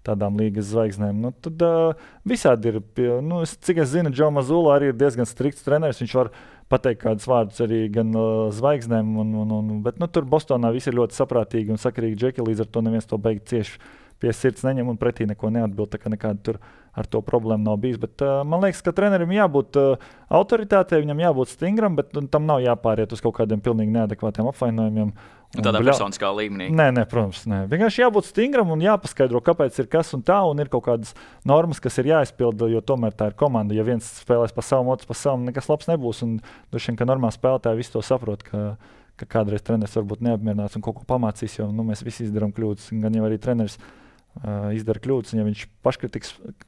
tādām līgas zvaigznēm. Nu, tad uh, visādi ir, nu, cik es zinu, Džo Mazzulla arī ir diezgan strikts treneris, viņš var pateikt kādus vārdus arī gan uh, zvaigznēm, un, un, un, bet nu, tur Bostonā viss ir ļoti saprātīgi un sakarīgi džeki, līdz ar to neviens to beigt cieši pie sirds neņem un pretī neko neatbild, tā kā nekāda tur ar to problēma nav bijis. Bet uh, man liekas, ka trenerim jābūt uh, autoritātei, viņam jābūt stingram, bet uh, tam nav jāpāriet uz kaut kādiem pilnīgi neadekvātiem apvainojumiem. Un tādā bļa... personiskā līmenī. Nē, nē, protams, nē. Vienkārši jābūt stingram un jāpaskaidro, kāpēc ir kas un tā, un ir kaut kādas normas, kas ir jāizpilda, jo tomēr tā ir komanda. Ja viens spēlēs pa savam, otrs pa savam, nekas labs nebūs, un droši vien, ka normāli spēlētāji visi to saprot, ka, ka kādreiz treneris varbūt neapmierināts un kaut ko pamācīs, jo nu, mēs visi izdarām kļūdas, gan jau arī treneris uh, izdara kļūdas, un ja viņš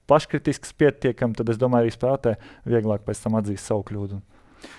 paškritisks pietiekam, tad es domāju, arī spēlētāji vieglāk pēc tam atzīs savu kļūdu.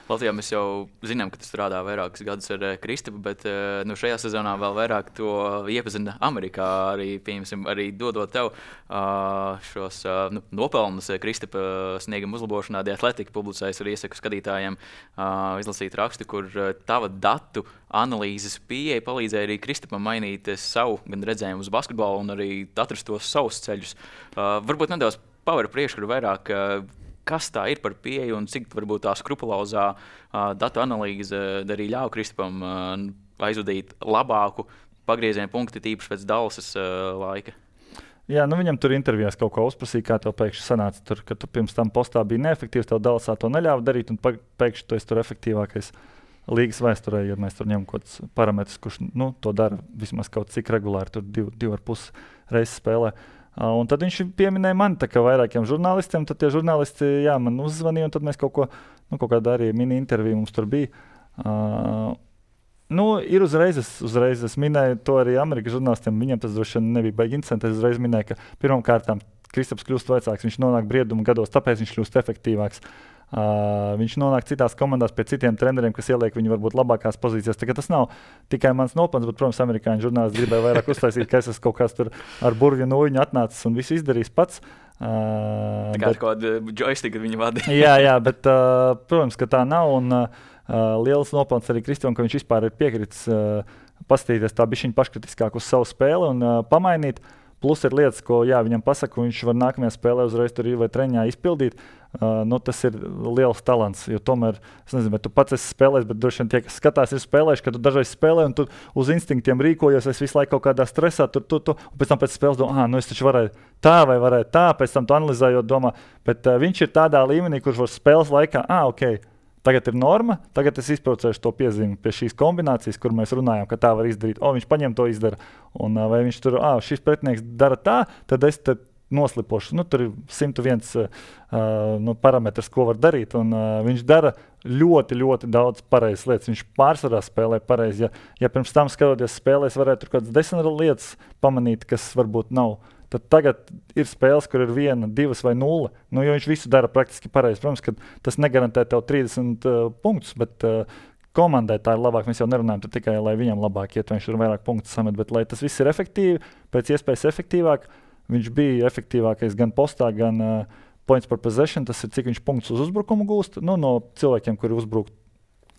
Latvijā mēs jau zinām, ka tu strādā vairākus gadus ar Kristapu, bet nu, šajā sezonā vēl vairāk to iepazina Amerikā, arī, piemēram, arī dodot tev uh, šos uh, nu, nopelnus Kristapa snieguma uzlabošanā. The Athletic publicējas arī iesaku skatītājiem uh, izlasīt rakstu, kur uh, tava datu analīzes pieeja palīdzēja arī Kristapam mainīt savu gan redzējumu uz basketbolu un arī atrast tos savus ceļus. Uh, varbūt nedaudz paver priekškuru vairāk, uh, kas tā ir par pieeju un cik varbūt tā skrupulozā uh, datu analīze arī ļauj Kristapam uh, aizvadīt labāku pagriezienu punktu, tīpaši pēc Dallasas uh, laika? Jā, nu viņam tur intervijās kaut ko uzprasīja, kā tev pēkšņi sanāca, tur, ka tu pirms tam postā biji neefektīvs, tev Dallasā to neļāva darīt, un pēkšņi tu esi tur efektīvākais līgas vēsturē, ja mēs tur ņemam kaut kādus parametrus, kurš nu, to dara vismaz kaut cik regulāri, tur div, div ar pus reizes spēlē. Uh, un tad viņš pieminēja mani tā kā vairākiem žurnālistiem, tad tie žurnālisti jā, man uzzvanīja, un tad mēs kaut ko, nu, kaut kādā arī mini-interviju mums tur bija. Uh, nu, ir uzreiz, es, uzreiz es minēju to arī Amerikas žurnālistiem, viņiem tas droši vien nebija baigi interesanti, es uzreiz minēju, ka pirmām kārtām Kristaps kļūst vecāks, viņš nonāk brieduma gados, tāpēc viņš kļūst efektīvāks. Uh, viņš nonāk citās komandās pie citiem treneriem, kas ieliek viņu varbūt labākās pozīcijās. Tā, tas nav tikai mans nopelns, bet, protams, amerikāņu žurnālisti gribēja vairāk uztaisīt, ka es esmu kaut kāds tur ar burvju nūjiņu atnācis un visu izdarījis pats. Uh, tā kā bet, kaut kāda joystick viņa vadīja. jā, jā, bet, uh, protams, ka tā nav. Un, uh, liels nopelns arī Kristapam, ka viņš vispār ir piekritis uh, paskatīties tā bišķiņ paškritiskāk uz savu spēli un uh, pamainīt. Plus ir lietas, ko jā, viņam pasaka, viņš var nākamajā spēlē uzreiz tur vai treņā izpildīt. Uh, nu, tas ir liels talants, jo tomēr, es nezinu, vai tu pats esi spēlējis, bet droši vien tie, kas skatās, ir spēlējuši, ka tu dažreiz spēlē un tu uz instinktiem rīkojies, es visu laiku kaut kādā stresā, tur, tu, tu, un pēc tam pēc spēles domā, ah, nu es taču varēju tā vai varēju tā, pēc tam tu analizējot domā, bet uh, viņš ir tādā līmenī, kurš var spēles laikā, ah, ok, tagad ir norma, tagad es izbraucēšu to piezīmi pie šīs kombinācijas, kur mēs runājam, ka tā var izdarīt. O, viņš paņem to izdara. Un vai viņš tur, ah, šis pretinieks dara tā, tad es te noslipošu. Nu, tur ir simt viens uh, nu, parametrs, ko var darīt. Un uh, viņš dara ļoti, ļoti daudz pareizas lietas. Viņš pārsvarā spēlē pareizi. Ja, ja pirms tam skatoties spēlēs, varētu tur kādas desmit lietas pamanīt, kas varbūt nav. Tad tagad ir spēles, kur ir viena, divas vai nulle. Nu, jo viņš visu dara praktiski pareizi. Protams, ka tas negarantē tev trīsdesmit uh, punktus, bet uh, komandai tā ir labāk. Mēs jau nerunājam tikai, lai viņam labāk iet, viņš tur vairāk punktus samet, bet lai tas viss ir efektīvi, pēc iespējas efektīvāk, viņš bija efektīvākais gan postā, gan uh, points per possession. Tas ir, cik viņš punktus uz uzbrukumu gūst. Nu, no cilvēkiem, kuri uzbruk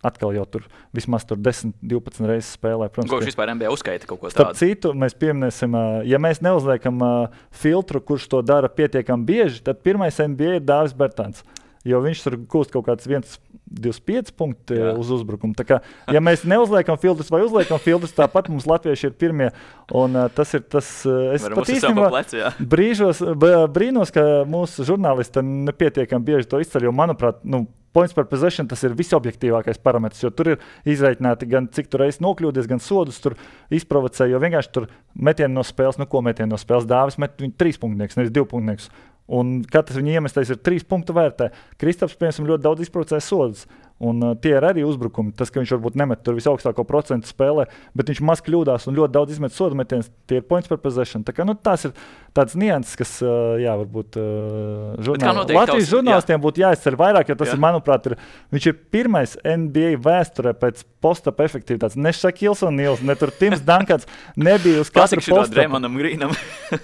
atkal jau tur vismaz tur desmit, divpadsmit reizes spēlē. Protams, ko viņš vispār N B A uzskaita kaut ko tādu? Starp citu, mēs pieminēsim, ja mēs neuzliekam uh, filtru, kurš to dara pietiekami bieži, tad pirmais N B A ir Dāvis Bertāns. Jo viņš tur gūst kaut kāds viens divdesmit pieci punkti Jā. Uz uzbrukumu. Tā kā, ja mēs neuzliekam filtrus vai uzliekam filtrus, tāpat mums latvieši ir pirmie. Un uh, tas ir tas, uh, es Varam pat īstenībā brīžos, brīnos, ka mūsu žurnālisti nepietiekami bieži to izceļ, jo, manuprāt, nu, points per possession tas ir visobjektīvākais parametrs, jo tur ir izreikināti gan cik tu reiz nokļūdies, gan sodus tur izprovocē, jo vienkārši tur metieni no spēles, nu ko metieni no spēles, Dāvis met viņu trīs punktnieks, nevis divu punktnieks. Un katrs viņa iemestais ir trīs punktu vērtē. Kristaps, piemēram, ļoti daudz izprovocē sodus. Un uh, tie ir arī uzbrukumi. Tas, ka viņš varbūt nemet tur visaugstāko procentu spēlē, bet viņš maz kļūdās un ļoti daudz izmet sodu metienus, tie ir points per possession. Tā kā, nu, tās ir tāds nianses, kas, uh, jā, varbūt uh, žurnāl... Latvijas tavs, žurnālistiem jā. Būtu jāizceļ vairāk, jo tas jā. Ir, manuprāt, ir, viņš ir pirmais N B A vēsturē pēc post-up efektivitātes. Ne Šakils un Nils, ne tur Tims Dankans nebija uz katru post-up. Dremonam Grīnam.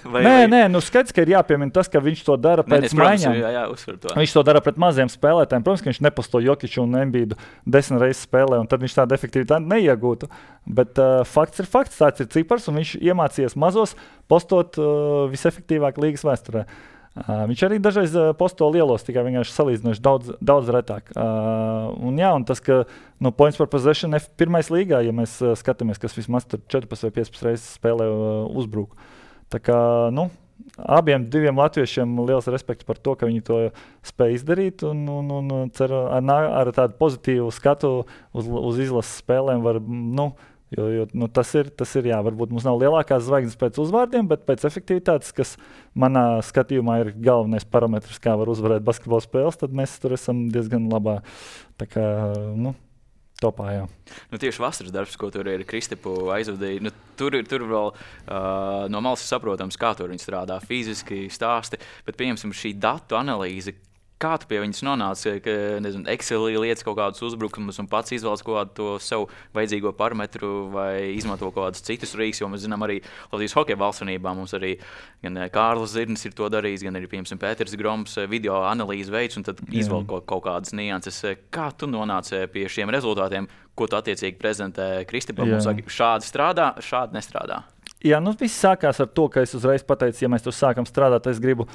vai, nē, vai... nē, nu skaidrs, ka ir jāpiemina tas, ka viņš to dara pēc nē, maiņām. Jā, jā, to. Viņš to dara pret maziem spēlētājiem. Protams, ka viņš neposto Jokiču un Embīdu desmit reizes spēlē, un tad viņš tādu efektivitāti neiegūtu. Bet uh, fakts ir fakts, tāds ir cipars, un viņš iemācījies mazos postot uh, visefektīvāk līgas vēsturē. Uh, viņš arī dažreiz uh, posto lielos, tikai vienkārši salīdzinoši daudz, daudz retāk. Uh, un jā, un tas, ka nu, points per possession F pirmais līgā, ja mēs uh, skatāmies, kas vismaz tur četrpadsmit vai piecpadsmit reizes spēlē uh, uzbruk. Tā kā, nu, abiem diviem latviešiem liels respekts par to, ka viņi to spēj izdarīt un, un, un cer ar, ar tādu pozitīvu skatu uz, uz izlases spēlēm var, nu, jo, jo nu, tas ir, tas ir, jā, varbūt mums nav lielākās zvaigznes pēc uzvārdiem, bet pēc efektivitātes, kas manā skatījumā ir galvenais parametrs, kā var uzvarēt basketbola spēles, tad mēs tur esam diezgan labā, tā kā, nu, topā, jā. Nu, tieši vasaras darbs, ko tur ir Kristapu aizvadīja, nu, tur, tur vēl uh, no malas saprotams, kā tur viņi strādā fiziski, stāsti, bet pieņemsim šī datu analīze, kā tu pie viņas nonāci, ka, nezinu, Excelī lietas kaut kādus uzbrukumus un pats izvēlas kaut kādu to sev vajadzīgo parametru vai izmanto kaut kādus citus rīks, jo mēs zinām arī Latvijas hokeja valstsvienībā mums arī gan Kārlis Zirnis ir to darījis, gan arī, piemēram, Pēters Groms video analīzi veids un tad izvēl kaut, kaut kādas nianses. Kā tu nonāci pie šiem rezultātiem, ko tu attiecīgi prezentē Kristapam un saki, šādi strādā, šādi nestrādā? Jā, nu viss sākās ar to, ka es uzreiz pateicu, ja mēs tur sākam strādāt, es gribu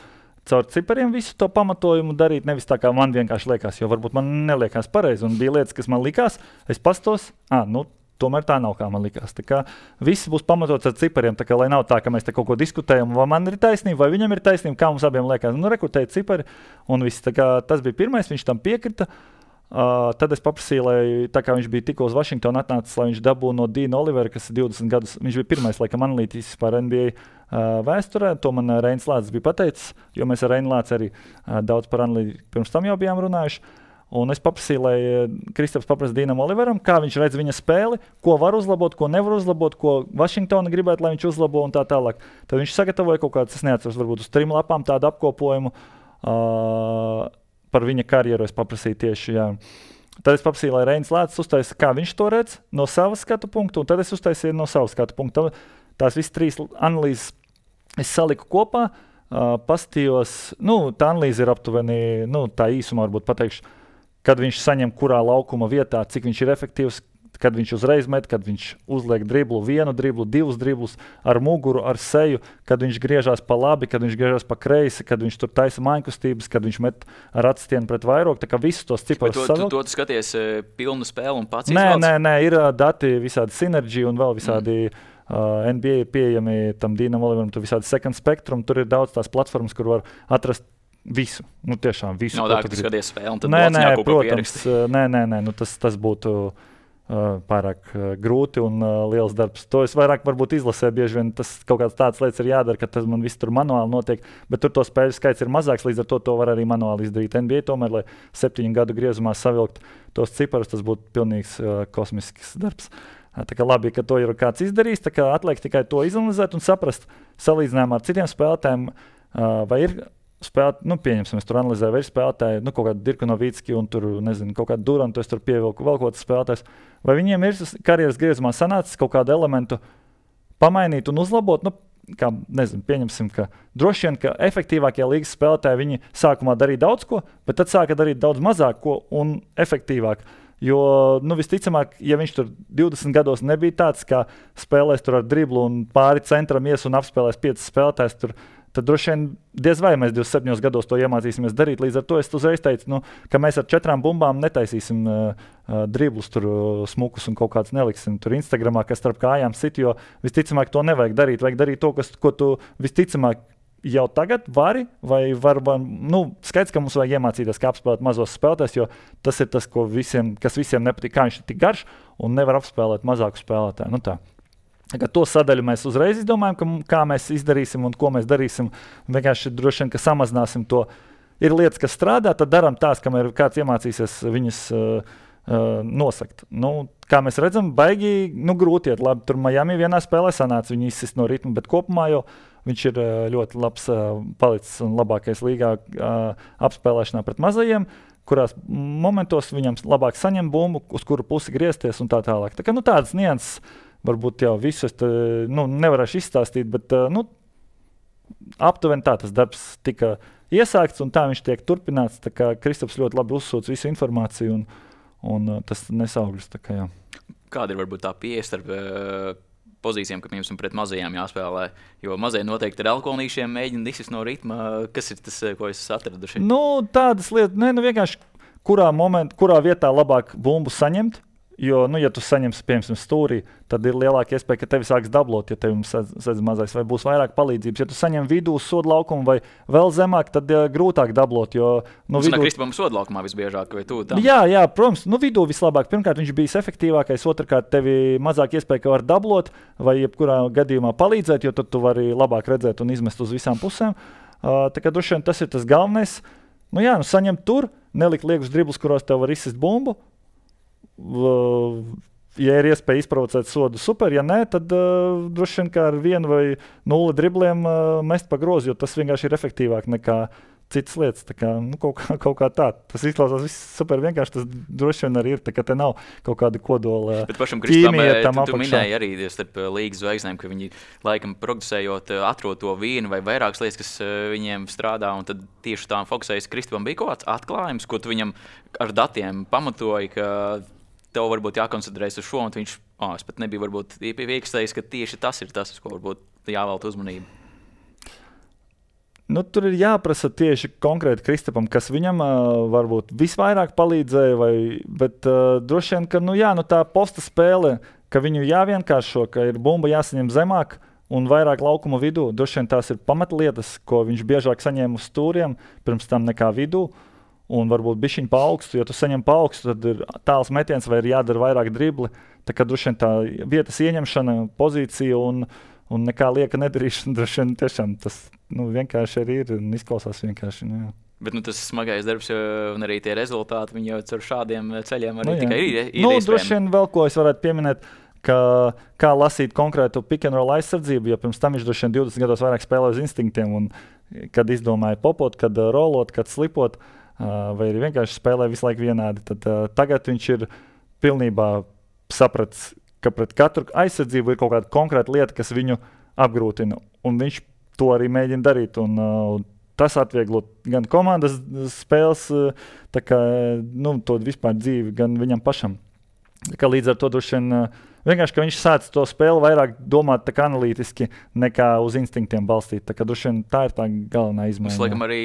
caur cipariem visu to pamatojumu darīt, nevis tā kā man vienkārši liekas, jo varbūt man neliekās pareizi, un bija lietas, kas man likās, es pastos, ā, nu, tomēr tā nav, kā man likās. Tā kā viss būs pamatots ar cipariem, tā kā lai nav tā, ka mēs te kaut ko diskutējam, vai man ir taisnība, vai viņam ir taisnība, kā mums abiem liekas. Nu, rekrutēja cipari, un viss, tā kā tas bija pirmais, viņš tam piekrita. Uh, tad es paprasīju, lai tā kā viņš bija tikko uz Vašingtonu atnācis, lai viņš dabū no Dīna Olivera, kas ir divdesmit gadus, viņš bija pirmais, laikam, analītis par N B A uh, vēsturē, to man uh, Reinis Lācis bija pateicis, jo mēs ar Reini Lāci arī uh, daudz par analītiku pirms tam jau bijām runājuši. Un es paprasīju, lai uh, Kristaps paprasa Dīnam Oliveram, kā viņš redz viņa spēli, ko var uzlabot, ko nevar uzlabot, ko Vašingtona gribētu, lai viņš uzlabo un tā tālāk. Tad viņš sagatavoja kaut kāds, es neatceros, varbūt uz trim lapām tādu apkopojumu. Uh, Par viņa karjeru es paprasīju tieši, jā. Tad es paprasīju, lai Reinis Lācis uztaisa, kā viņš to redz no savas skatu punktu, un tad es uztaisīju no savas skatu punktu. Tās visas trīs analīzes es saliku kopā, uh, pastījos, nu, tā analīze ir aptuveni, nu, tā īsumā varbūt pateikšu, kad viņš saņem kurā laukuma vietā, cik viņš ir efektīvs, kad viņš uzreiz met, kad viņš uzliek driblu, vienu driblu, divus driblus ar muguru, ar seju, kad viņš griežās pa labi, kad viņš griežās pa kreisi, kad viņš tur taisa mājkustības, kad viņš met ar atstienu pret vairogu, tā kā visus tos ciparus savilkt. Tu, tu, tu skaties uh, pilnu spēli un pats nē, izvalds? Nē, nē, ir uh, dati, visādi Synergy un vēl visādi mm. uh, N B A ir pieejami tam Dīnam Oliveram, tur visādi Second Spectrum, tur ir daudz tās platformas, kur var atrast visu, nu tiešām visu. Nav tā, ka tu skaties spēli un tad nē, nē, kaut ko pieraksti. Uh, nē, nē, nē, nu tas, tas būtu Uh, pārāk uh, grūti un uh, liels darbs. To es vairāk varbūt izlasē, bieži vien tas kaut kāds tāds lietas ir jādara, ka tas man viss tur manuāli notiek, bet tur to spēļu skaits ir mazāks, līdz ar to to var arī manuāli izdarīt. N B A tomēr, lai septiņu gadu griezumā savilkt tos ciparus, tas būtu pilnīgs uh, kosmisks darbs. Uh, tā kā labi, ka to ir kāds izdarījis, tā kā atliek tikai to izanalizēt un saprast salīdzinājumā ar citiem spēlētājiem, uh, vai ir spēlēt, nu, pieņemsim, es tur analizēju, vai ir spēlētāji, nu, kaut kādu Dirku Novicki un tur, nezinu, kaut kādu Durantu, es tur pievilku vēl kaut kāds spēlētājs. Vai viņiem ir karjeras griezumā sanācis kaut kādu elementu pamainīt un uzlabot? Nu, kā, nezinu, pieņemsim, ka droši vien, ka efektīvākie līgas spēlētāji viņi sākumā darīja daudz ko, bet tad sāka darīt daudz mazāk ko un efektīvāk. Jo, nu, visticamāk, ja viņš tur divdesmit gados nebija tāds, kā spēlēs tur ar driblu un pāri centram ies un apspēlēs piecas spēlētājs tur, tad droši vien diez vai mēs divdesmit septiņos gados to iemācīsimies darīt. Līdz ar to es uzreiz teicu, nu, ka mēs ar četrām bumbām netaisīsim uh, uh, driblus, tur uh, smukus un kaut kāds neliksim tur Instagramā, kas starp kājām sit, jo visticamāk to nevajag darīt. Vajag darīt to, kas, ko tu visticamāk jau tagad vari, vai var, nu, skaidrs, ka mums vajag iemācīties, kā apspēlēt mazos spēlētājus, jo tas ir tas, ko visiem, kas visiem nepatīk, kā viņš ir tik garš un nevar apspēlēt mazāku spēlētāju. Nu tā. Tagad to sadaļu mēs uzreiz izdomājam, ka, kā mēs izdarīsim un ko mēs darīsim. Vienkārši droši vien, ka samazināsim to. Ir lietas, kas strādā, tad darām tās, kamēr kāds iemācīsies viņas uh, uh, nosakt. Nu, kā mēs redzam, baigi nu, grūti iet. Labi, tur Miami vienā spēlē sanāca, viņi izsist no ritma, bet kopumā jau viņš ir uh, ļoti labs uh, palicis un labākais līgā uh, apspēlēšanā pret mazajiem, kurās momentos viņam labāk saņem bumbu, uz kuru pusi griezties un tā tālāk. Tā kā, nu, tādas nianses varbūt jau visus te, nu, nevarēšu izstāstīt, bet uh, nu, aptuveni tā tas darbs tika iesākts un tā viņš tiek turpināts. Tā kā Kristaps ļoti labi uzsūc visu informāciju un, un uh, tas nesaugļus. Tā kā, jā. Kāda ir varbūt tā pieeja starp uh, pozīcijām, ka mums pret mazajām jāspēlē? Jo mazie noteikti ar alkoholīšiem mēģina disist no ritma. Kas ir tas, ko es atraduši? Nu, tādas lietas, ne, nu vienkārši kurā, moment, kurā vietā labāk bumbu saņemt. Jo, nu, ja tu saņemsi, piemēram, stūrī, tad ir lielāka iespēja, ka tevi sāks dablot, ja tev sedz mazais, vai būs vairāk palīdzības. Ja tu saņem vidū sodu laukumu vai vēl zemāk, tad uh, grūtāk dablot. Jo, nu, vidū... Kristupam sodu laukumā visbiežāk, vai tu tam? Jā, jā, protams, nu, vidū vislabāk. Pirmkārt, viņš bija efektīvākais, otrkārt, tevi mazāk iespēja, ka var dablot vai jebkurā gadījumā palīdzēt, jo tad tu vari labāk redzēt un izmest uz visām pusēm. Uh, tā kā droši vien tas ir tas galvenais. Nu, jā, nu, saņemt tur, nelikt liekus driblus, kuros tev var izsist bumbu. Ja ir iespēja izprovocēt sodu, super, ja nē, tad uh, droši vien kā ar vienu vai nulli dribliem uh, mest pa grozu, jo tas vienkārši ir efektīvāk nekā citas lietas. Tā kā, nu, kaut, kā, kaut kā tā. Tas izklausās viss super vienkārši, tas droši vien arī ir, tā kā te nav kaut kāda kodola bet pašam Kristupam, tam tu, tu minēji arī starp līgas zvaigznēm, ka viņi laikam progresējot atrod to vienu vai vairākas lietas, kas viņiem strādā, un tad tieši tām fokusējas. Kristupam bija kaut kāds atklājums, ko tu viņam ar datiem pamatoji, ka tev varbūt jākoncentrējas uz šo, un viņš, oh, es pat nebiju varbūt iekstējis, ka tieši tas ir tas, uz ko varbūt jāvēlta uzmanība. Nu, tur ir jāprasa tieši konkrēti Kristupam, kas viņam uh, varbūt visvairāk palīdzēja, vai, bet uh, droši vien, ka nu, jā, nu, tā posta spēle, ka viņu jāvienkāršo, ka ir bumba jāsaņem zemāk un vairāk laukuma vidū. Droši vien tās ir pamatlietas, ko viņš biežāk saņēma uz stūriem, pirms tam nekā vidū. Un varbūt bišķiņ pa augstu, jo tu saņem pa augstu, tad ir tāls metiens vai ir jādara vairāk dribli. Tā kā droši vien tā vietas ieņemšana, pozīcija un, un nekā lieka nedarīšana, droši vien tiešām tas nu, vienkārši arī ir un izklausās vienkārši. Nu, jā. Bet nu, tas smagais darbs un arī tie rezultāti, viņi jau ar šādiem ceļiem arī nu, tikai ir, ir nu, iespējami. Droši vien vēl ko es varētu pieminēt, ka kā lasīt konkrētu pick and roll aizsardzību, jo pirms tam viņš droši vien divdesmit gados vairāk spēlē uz instinktiem un kad izdomāja popot, kad uh, rolot, kad slipot, uh, vai arī vienkārši spēlē visu laiku vienādi, tad uh, tagad viņš ir pilnībā sapratis, ka pret katru aizsardzību ir kaut kāda konkrēta lieta, kas viņu apgrūtina, un viņš to arī mēģina darīt, un uh, tas atvieglot gan komandas spēles, uh, tā kā, nu, to vispār dzīvi, gan viņam pašam. Tā kā līdz ar to droši vien uh, vienkārši, ka viņš sāc to spēli vairāk domāt tā kā analītiski nekā uz instinktiem balstīt. Tā kā droši vien tā ir tā galvenā izmaiņa. Tas, laikam, arī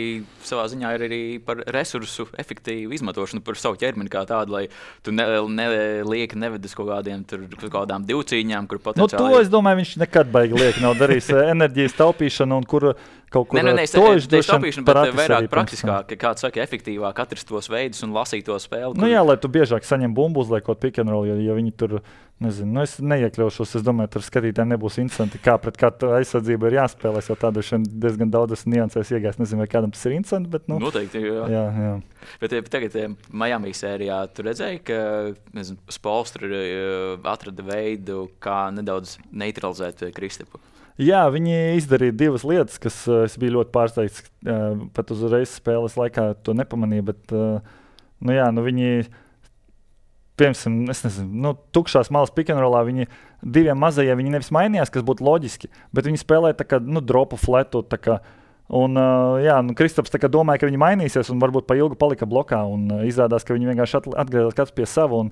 savā ziņā ir arī par resursu efektīvu izmantošanu, par savu ķermeni kā tādu, lai tu ne, ne, lieki nevedis kaut kādiem tur, kaut kādām divcīņām, kur potenciāli... Nu, to es domāju, viņš nekad baigi lieki nav darījis enerģijas taupīšanu un kur kaut kur... Ne, ne, ne, to es taupīšanu, bet vairāk praktiskāk, ka kāds saka efektīvāk atrast tos veidus un lasīt to spēli. Kur... Nu jā, lai tu biežāk saņem bumbu uzliekot pick and roll, ja, ja viņi tur, nezinu, nu es neiekļaušos, es domāju, tur skatītājiem nebūs interesanti, kā pret katru aizsardzību ir jāspēlēs, jo tādu šeit diezgan daudzas niansēs iegājas, nezinu, vai kādam tas ir interesanti, bet, nu... Noteikti, jā. Jā, jā. Bet tagad Miami sērijā tu redzēji, ka, nezinu, Spolstra atrada veidu, kā nedaudz neutralizēt Kristapu. Jā, viņi izdarīja divas lietas, kas uh, es biju ļoti pārsteigts. Uh, pat uzreiz spēles laikā to nepamanīju, bet uh, nu jā, nu viņi, piemēram, es nezinu, nu, tukšās malas pick and rollā viņi diviem mazajiem viņi nevis mainījās, kas būtu loģiski, bet viņi spēlēja tā kā, nu, dropu fletu, tā kā, un, uh, jā, nu, Kristaps tā kā domāja, ka viņi mainīsies un varbūt pa ilgu palika blokā un uh, izrādās, ka viņi vienkārši atgriezās kāds pie sava un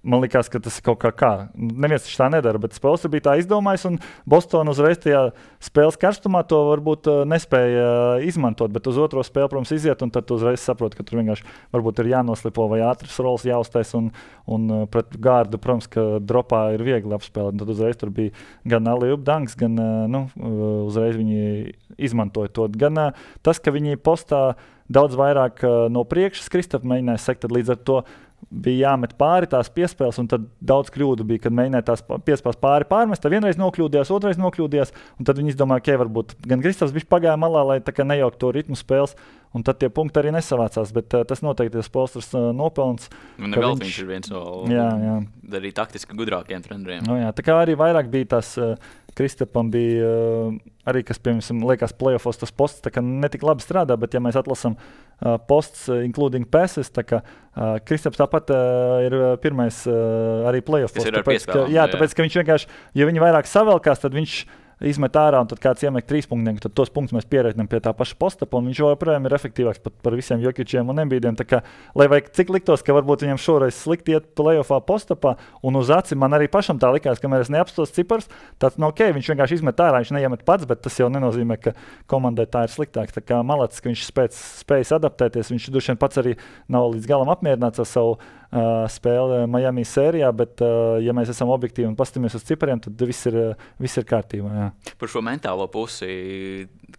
man liekas, ka tas ir kaut kā kā. Neviens tā nedara, bet Spēlers bija tā izdomājis, un Bostona uzreiz tajā spēles karstumā to varbūt uh, nespēja uh, izmantot, bet uz otro spēli, protams, iziet, un tad tu uzreiz saproti, ka tur vienkārši varbūt ir jānoslipo vai ātras rolas jāuztais, un, un uh, pret gārdu, protams, ka dropā ir viegli apspēlēt. Tad uzreiz tur bija gan alley-oop dunks, gan uh, nu, uh, uzreiz viņi izmantoja to. Gan uh, tas, ka viņi postā daudz vairāk uh, no priekšas Kristaps mēģināja sekt, tad līdz ar to bija jāmet pāri tās piespēles, un tad daudz kļūdu bija, kad mēģināja tās piespēles pāri pārmest. Tad vienreiz nokļūdījās, otrais nokļūdījās, un tad viņi izdomāja, ka, okay, varbūt gan Kristaps bija pagāja malā, lai tā kā nejaukt to ritmu spēles, un tad tie punkti arī nesavācās, bet uh, tas noteikti ir Spolstras uh, nopelns. Un vēl viņš ir viens no jā, jā. arī taktiski gudrākiem treneriem. No, jā, tā kā arī vairāk bija tas uh, Kristapam bija uh, arī, kas, piemēram, liekas, playoffos tas posts tā kā netik labi strādā, bet ja mēs atlasam uh, posts, uh, including passes, tā kā uh, Kristaps tāpat uh, ir pirmais uh, arī playoffos. Tas ir ar tāpēc, ka, piespēlēm. jā, tāpēc, ka viņš vienkārši, ja viņi vairāk savelkās, tad viņš izmet ārā, un tad kāds iemet trīs punktiem, tad tos punktus mēs pierēķinām pie tā paša postapa, un viņš joprojām ir efektīvāks pat par visiem Jokičiem un Embīdiem. Tā kā, lai vai cik liktos, ka varbūt viņam šoreiz slikti iet playoffā postapā, un uz aci man arī pašam tā likās, ka mēs neapstos cipars, tāds nav ok, viņš vienkārši izmet ārā, viņš neiemet pats, bet tas jau nenozīmē, ka komandai tā ir sliktāks. Tā kā malacis, ka viņš spēc, spējas adaptēties, viņš droši vien pats arī nav līdz galam apmierināts ar savu Uh, spēle Miami sērijā, bet, uh, ja mēs esam objektīvi un paskatāmies uz cipariem, tad viss ir, viss ir kārtībā. Jā. Par šo mentālo pusi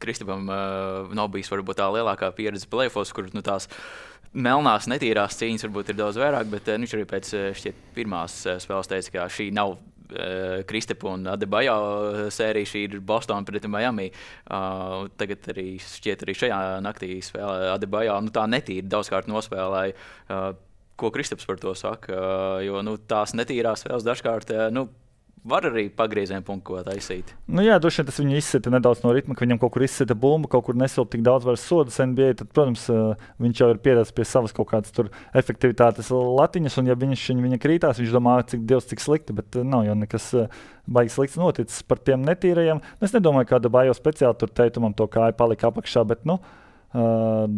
Kristapam uh, nav bijis varbūt tā lielākā pieredze playoffos, kur nu, tās melnās, netīrās cīņas varbūt ir daudz vairāk, bet uh, viņš arī pēc šķiet pirmās uh, spēles teica, ka šī nav Kristapa un Adebayo sērija, šī ir Boston pret Miami. Uh, tagad arī šķiet arī šajā naktī spēlē Adebayo, nu tā netīri daudzkārt nospēlēja. Uh, Ko Kristaps par to saka, jo nu, tās netīrās spēles dažkārt nu, var arī pagrieziena punktu ko taisīt. Nu jā, droši vien tas viņu izsita nedaudz no ritma, ka viņam kaut kur izsita bumbu, kaut kur nesilp tik daudz vairs sodas N B A, tad, protams, viņš jau ir pieredzējis pie savas kaut kādas tur efektivitātes latiņas, un ja viņš viņa krītās, viņš domā, cik Dievs, cik slikti, bet nav jau nekas baigi slikts noticis par tiem netīrajiem. Es nedomāju, kāda Bajo speciāli tur teitumam to kāju palika apakšā, bet, nu, uh,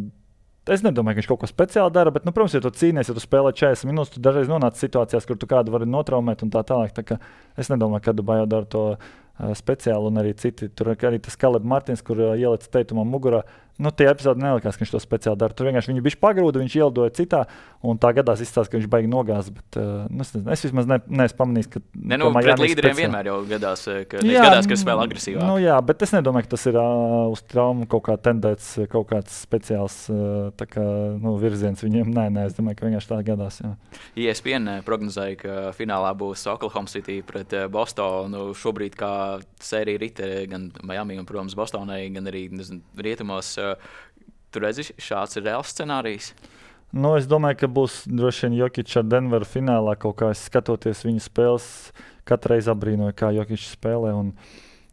es nedomāju, ka viņš kaut ko speciāli dara, bet, nu, protams, ja tu cīnies, ja tu spēlē četrdesmit minūtes, tu dažreiz nonāc situācijās, kur tu kādu vari notraumēt un tā tālāk. Tā kā es nedomāju, ka Bajo dara to uh, speciāli, un arī citi. Tur arī tas Kaleb Martins, kur uh, ielica teitumam mugurā. Nu, tie epizodi nelikās, ka viņš to speciāli dara. Tur vienkārši viņu bišķi pagrūda, viņš ielidoja citā, un tā gadās izstāsta, ka viņš baigi nogāz. Bet uh, nu, es, es vismaz ne, neesmu pamanījis, ka. Ne, nu, pret līderiem speciāli. Vienmēr jau gadās, ka jā, gadās, ka spēlē agresīvāk. Nu, jā, bet es nedomāju, ka tas ir uh, uz traumu kaut kā tendēts, kaut kāds speciāls uh, tā kā, nu, virziens viņiem. Nē, nē, es domāju, ka vienkārši tā gadās. Jā. E S P N prognozēja, ka finālā būs Oklahoma City pret Bostonu. Šobrīd kā sērija rite gan Miami un, protams, Bostonai, gan arī nezinu, rietumos. Tu redzi, šāds ir reāls scenārijs? Nu, es domāju, ka būs droši vien Jokic ar Denveru finālā kaut kā skatoties viņu spēles. Katru reizi abrīnoju, kā Jokic spēlē. Un,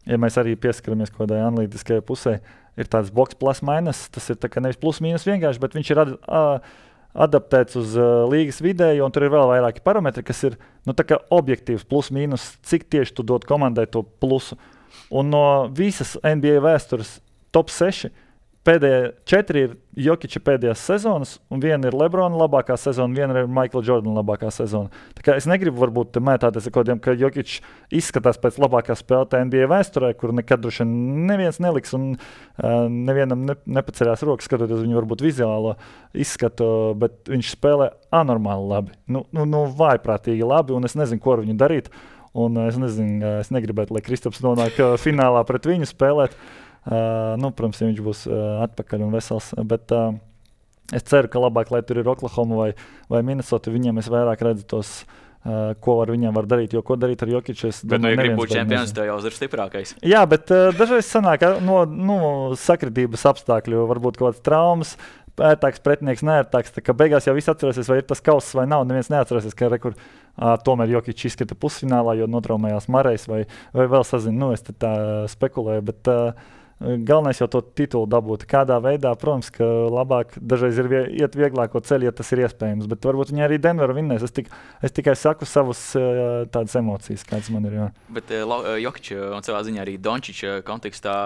ja mēs arī pieskaramies kaut kādai analītiskajai pusē, ir tāds boks plus minus. Tas ir tā kā nevis plus mīnus vienkārši, bet viņš ir ad, a, adaptēts uz uh, līgas vidēju, un tur ir vēl vairāki parametri, kas ir nu, tā kā objektīvs plus mīnus, cik tieši tu dod komandai to plusu. Un no visas N B A vēstures top seši pēdējie četri ir Jokiča pēdējās sezonas, un viena ir Lebrona labākā sezona, viena ir Michael Jordan labākā sezona. Tā kā es negribu varbūt mētāties ar kodiem, ka Jokič izskatās pēc labākā spēlētāja N B A vēsturē, kur nekad droši neviens neliks un uh, nevienam ne, nepaceļās rokas, skatoties viņu varbūt vizuālo izskatu, bet viņš spēlē anormāli labi. Nu, nu, nu vājprātīgi labi, un es nezinu, ko ar viņu darīt. Un es nezinu, es negribētu, lai Kristaps nonāk finālā pret viņu spēlēt. Uh, nu, protams, ja viņš būs uh, atpakaļ un vesels, bet uh, es ceru, ka labāk, lai tur ir Oklahoma vai, vai Minnesota, viņiem es vairāk redzu tos, uh, ko ar viņiem var darīt, jo ko darīt ar Jokiču. Bet, nu, ja grib būt čempions, tev jau ir stiprākais. Jā, bet uh, dažreiz sanāk no, no sakritības apstākļu, varbūt kaut kāds traumas, ērtāks pretinieks, neērtāks, tā kā beigās jau viss atcerēsies, vai ir tas kauss vai nav, neviens neatcerēsies, ka rekur, uh, tomēr Jokič izskata pusfinālā, jo notraumējās Marejs vai, vai vēl sazinu, nu es te tā spekulēju, bet uh, galvenais jau to titulu dabūt. Kādā veidā, protams, ka labāk dažreiz ir vie, iet vieglāko ceļu, ja tas ir iespējams. Bet varbūt viņi arī Denveru vinnēs. Es, tik, es tikai saku savas tādas emocijas, kādas man ir. Jā. Bet Jokića un savā ziņā arī Dončića kontekstā,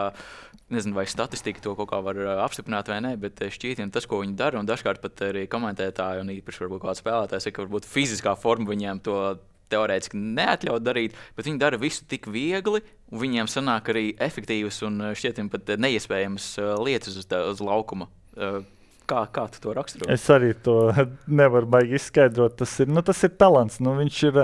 nezinu, vai statistika to kaut kā var apstiprināt vai nē, bet šķiet, tas, ko viņi dara, un dažkārt pat arī komentētāji, un īpaši varbūt kāds spēlētājs, ir, ka varbūt fiziskā forma viņiem to teorētiski neatļaut darīt, bet viņi dara visu tik viegli, un viņiem sanāk arī efektīvas un šķietim pat neiespējamas lietas uz, tā, uz laukuma. Kā, kā tu to raksturo? Es arī to nevaru baigi izskaidrot. Tas ir, nu, tas ir talants. Nu, viņš ir,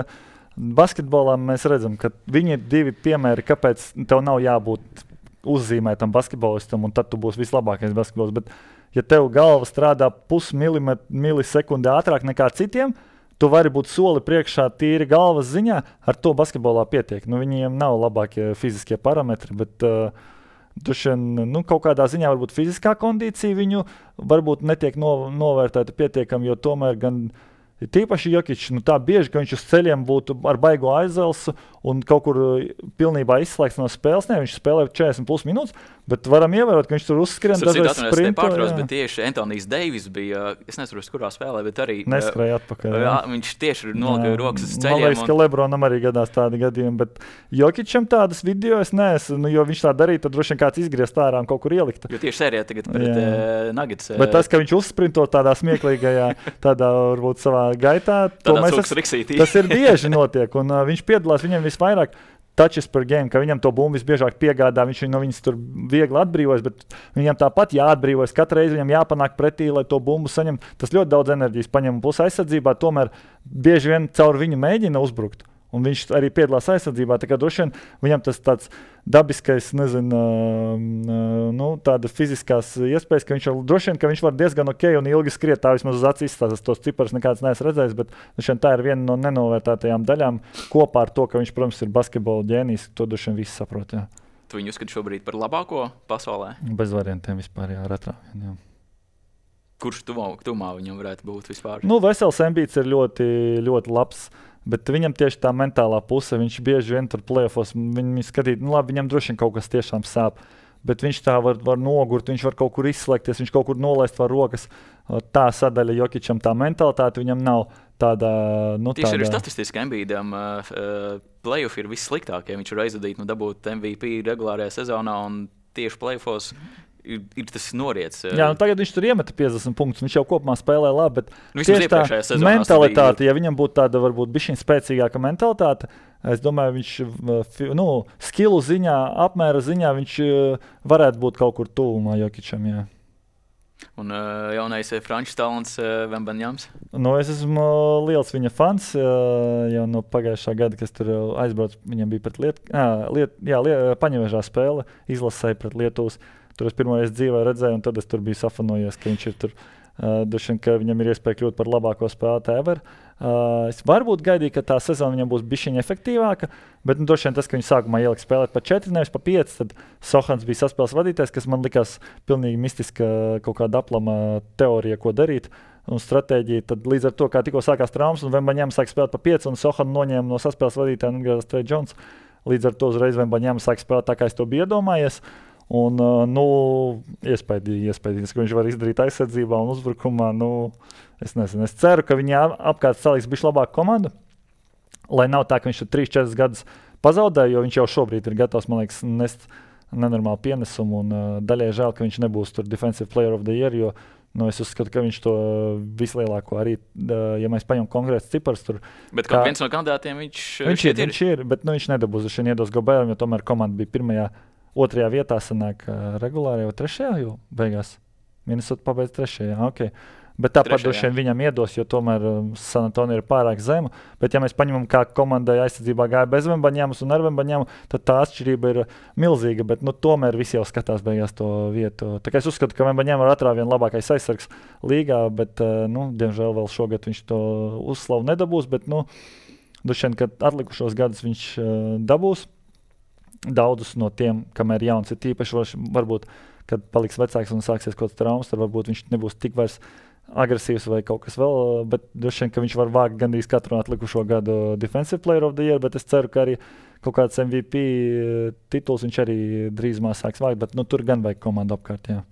basketbolā mēs redzam, ka viņi ir divi piemēri, kāpēc tev nav jābūt uzzīmētam basketbolistam, un tad tu būsi vislabākais basketbols. Bet, ja tev galva strādā pusmilisekundē ātrāk nekā citiem, tu vari būt soli priekšā tīri galvas ziņā, ar to basketbolā pietiek. Nu, viņiem nav labākie fiziskie parametri, bet uh, dušien, nu, kaut kādā ziņā varbūt fiziskā kondīcija viņu varbūt netiek no, novērtēta pietiekami, jo tomēr gan tīpaši Jokić, nu tā bieži, ka viņš uz ceļiem būtu ar baigo aizelsu un kaut kur pilnībā izslēgts no spēles. Ne, viņš spēlē četrdesmit plus minūtes, bet varam ievērot, ka viņš tur uzskrien dažreiz sprinto. Bet tieši Antonijs Deivis bija, es nezinu, kurā spēlē, bet arī neskrēja atpakaļ. Jā, viņš tieši nolika rokas uz ceļiem. Man liekas, un... ka Lebronam arī gadās tādi gadījumi, bet Jokićam tādas video es neesmu, nu, jo viņš tā darīja, tad droši vien kāds izgriezt ārā un kaut kur ielikta. Jo tieši sērijā tagad pret uh, Nuggets. Uh... Bet tas, ka viņš uzsprinto tādā smieklīgajā, tādā varbūt savā gaitā, to mēs es, tas ir bieži notiek, un uh, viņš piedalās viņam visvairāk touches per game, ka viņam to bumbu visbiežāk piegādā, viņš no viņas tur viegli atbrīvojas, bet viņam tāpat jāatbrīvojas, katru reizi viņam jāpanāk pretī, lai to bumbu saņem. Tas ļoti daudz enerģijas paņem, plus aizsardzībā tomēr bieži vien caur viņu mēģina uzbrukt. Un viņš arī piedalās aizsardzībā, tā kā droši vien viņam tas tāds dabiskais, nezinu, nu, tāda fiziskās iespējas, ka viņš, droši vien, ka viņš var diezgan ok un ilgi skriet, tā vismaz uz acīs izstāstās, tos ciparus nekāds neesmu redzējis, bet droši vien tā ir viena no nenovērtētajām daļām kopā ar to, ka viņš, protams, ir basketbola ģēnijs, to droši vien visi saprot, jā. Tu viņu uzskati šobrīd par labāko pasaulē? Bez variantiem vispār, jā, retrāvien, jā. Kurš tuvā, tuvā viņam varētu būt vispār? Nu, Vesels Embiids ir ļoti, ļoti labs. Bet viņam tieši tā mentālā puse, viņš bieži vien tur play-offos, viņi skatīt, nu labi, viņam droši vien kaut kas tiešām sāp, bet viņš tā var, var nogurt, viņš var kaut kur izslēgties, viņš kaut kur nolaist var rokas. Tā sadaļa Jokićam, tā mentalitāte viņam nav tāda, nu tieši tāda... arī statistiski Embiidam uh, play-off ir vissliktākie, viņš var aizvadīt, nu dabūt M V P regulārajā sezonā un tieši play-offos Ir, ir tas noriets. Jā, nu tagad viņš tur iemeta piecdesmit punktus. Viņš jau kopumā spēlē labi, bet nu, tieši tā mentalitāte, ja viņam būtu tāda varbūt bišķiņ spēcīgāka mentalitāte, es domāju, viņš nu, skilu ziņā, apmēra ziņā viņš varētu būt kaut kur tuvumā Jokićam, jā. Un uh, jaunais franču talants uh, Vembaņams? Nu, es esmu liels viņa fans, uh, jau no pagājušā gada, kas tur aizbrauc, viņam bija pret Liet, uh, liet, jā, liet, Paņevežā spēle, izlasēja pret Lietuvas. Tur es pirmoreiz dzīvē redzēju, un tad es tur biju safanojies, ka viņš ir tur, uh, dušien, ka viņam ir iespēja kļūt par labāko spēlētāju ever. Uh, es varbūt gaidīju, ka tā sezona viņam būs bišķiņa efektīvāka, bet nu, dušien tas, ka viņš sākumā ielika spēlēt pa četri, nevis pa pieci, tad Sohans bija saspēles vadītājs, kas man likās pilnīgi mistiska kaut kāda aplama teorija, ko darīt. Un stratēģija, tad līdz ar to, kā tikko sākās traumas, un Vembaņams sāk spēlēt pa pieci, un Sohan noņēma no saspēles vadītāja un atgriezās Trey Jones. Līdz ar to uzreiz Vembaņams sāk spēlēt tā, kā es to biju iedomājies. Un, nu, iespējīgi, iespējīgi, ka viņš var izdarīt aizsardzībā un uzbrukumā. Nu, es nezinu, es ceru, ka viņi apkārt saliks bišķi labāku komandu, lai nav tā, ka viņš tur trīs četras gadus pazaudēja, jo viņš jau šobrīd ir gatavs, man liekas, nest nenormālu pienesumu. Un, uh, daļai žēl, ka viņš nebūs tur Defensive Player of the Year, jo nu, es uzskatu, ka viņš to vislielāko arī, uh, ja mēs paņemam konkrēts cipars tur. Bet kā viens no kandidātiem viņš, viņš ir? Viņš ir, bet nu, viņš nedabūs, viņš iedos Goberam, jo tomēr komanda bija pirmajā. Otrajā vietā sanāk uh, regulāri jau trešajā, jo beigās Minnesota pabeidz trešajā, ok. Bet tāpat droši vien viņam iedos, jo tomēr um, San Antonio ir pārāk zema. Bet ja mēs paņemam, kā komandai aizsardzībā gāja bez Vembaņamas un ar Vembaņamu, tad tā atšķirība ir milzīga, bet nu, tomēr visi jau skatās beigās to vietu. Tā kā es uzskatu, ka Vembaņama ar atrāvienu labākais aizsargs līgā, bet, uh, nu, diemžēl vēl šogad viņš to uzslavu nedabūs, bet, nu, droši vien, kad atlikušos gadus viņš uh, dabūs. Daudzus no tiem, kamēr jauns ir tīpaši, varbūt, kad paliks vecāks un sāksies kaut kāds traumas, tad varbūt viņš nebūs tik vairs agresīvs vai kaut kas vēl, bet droši vien, ka viņš var vākt gandrīz katru atlikušo gadu Defensive Player of the Year, bet es ceru, ka arī kaut kāds M V P tituls viņš arī drīzumā sāks vākt, bet nu, tur gan vajag komandu apkārt, jā.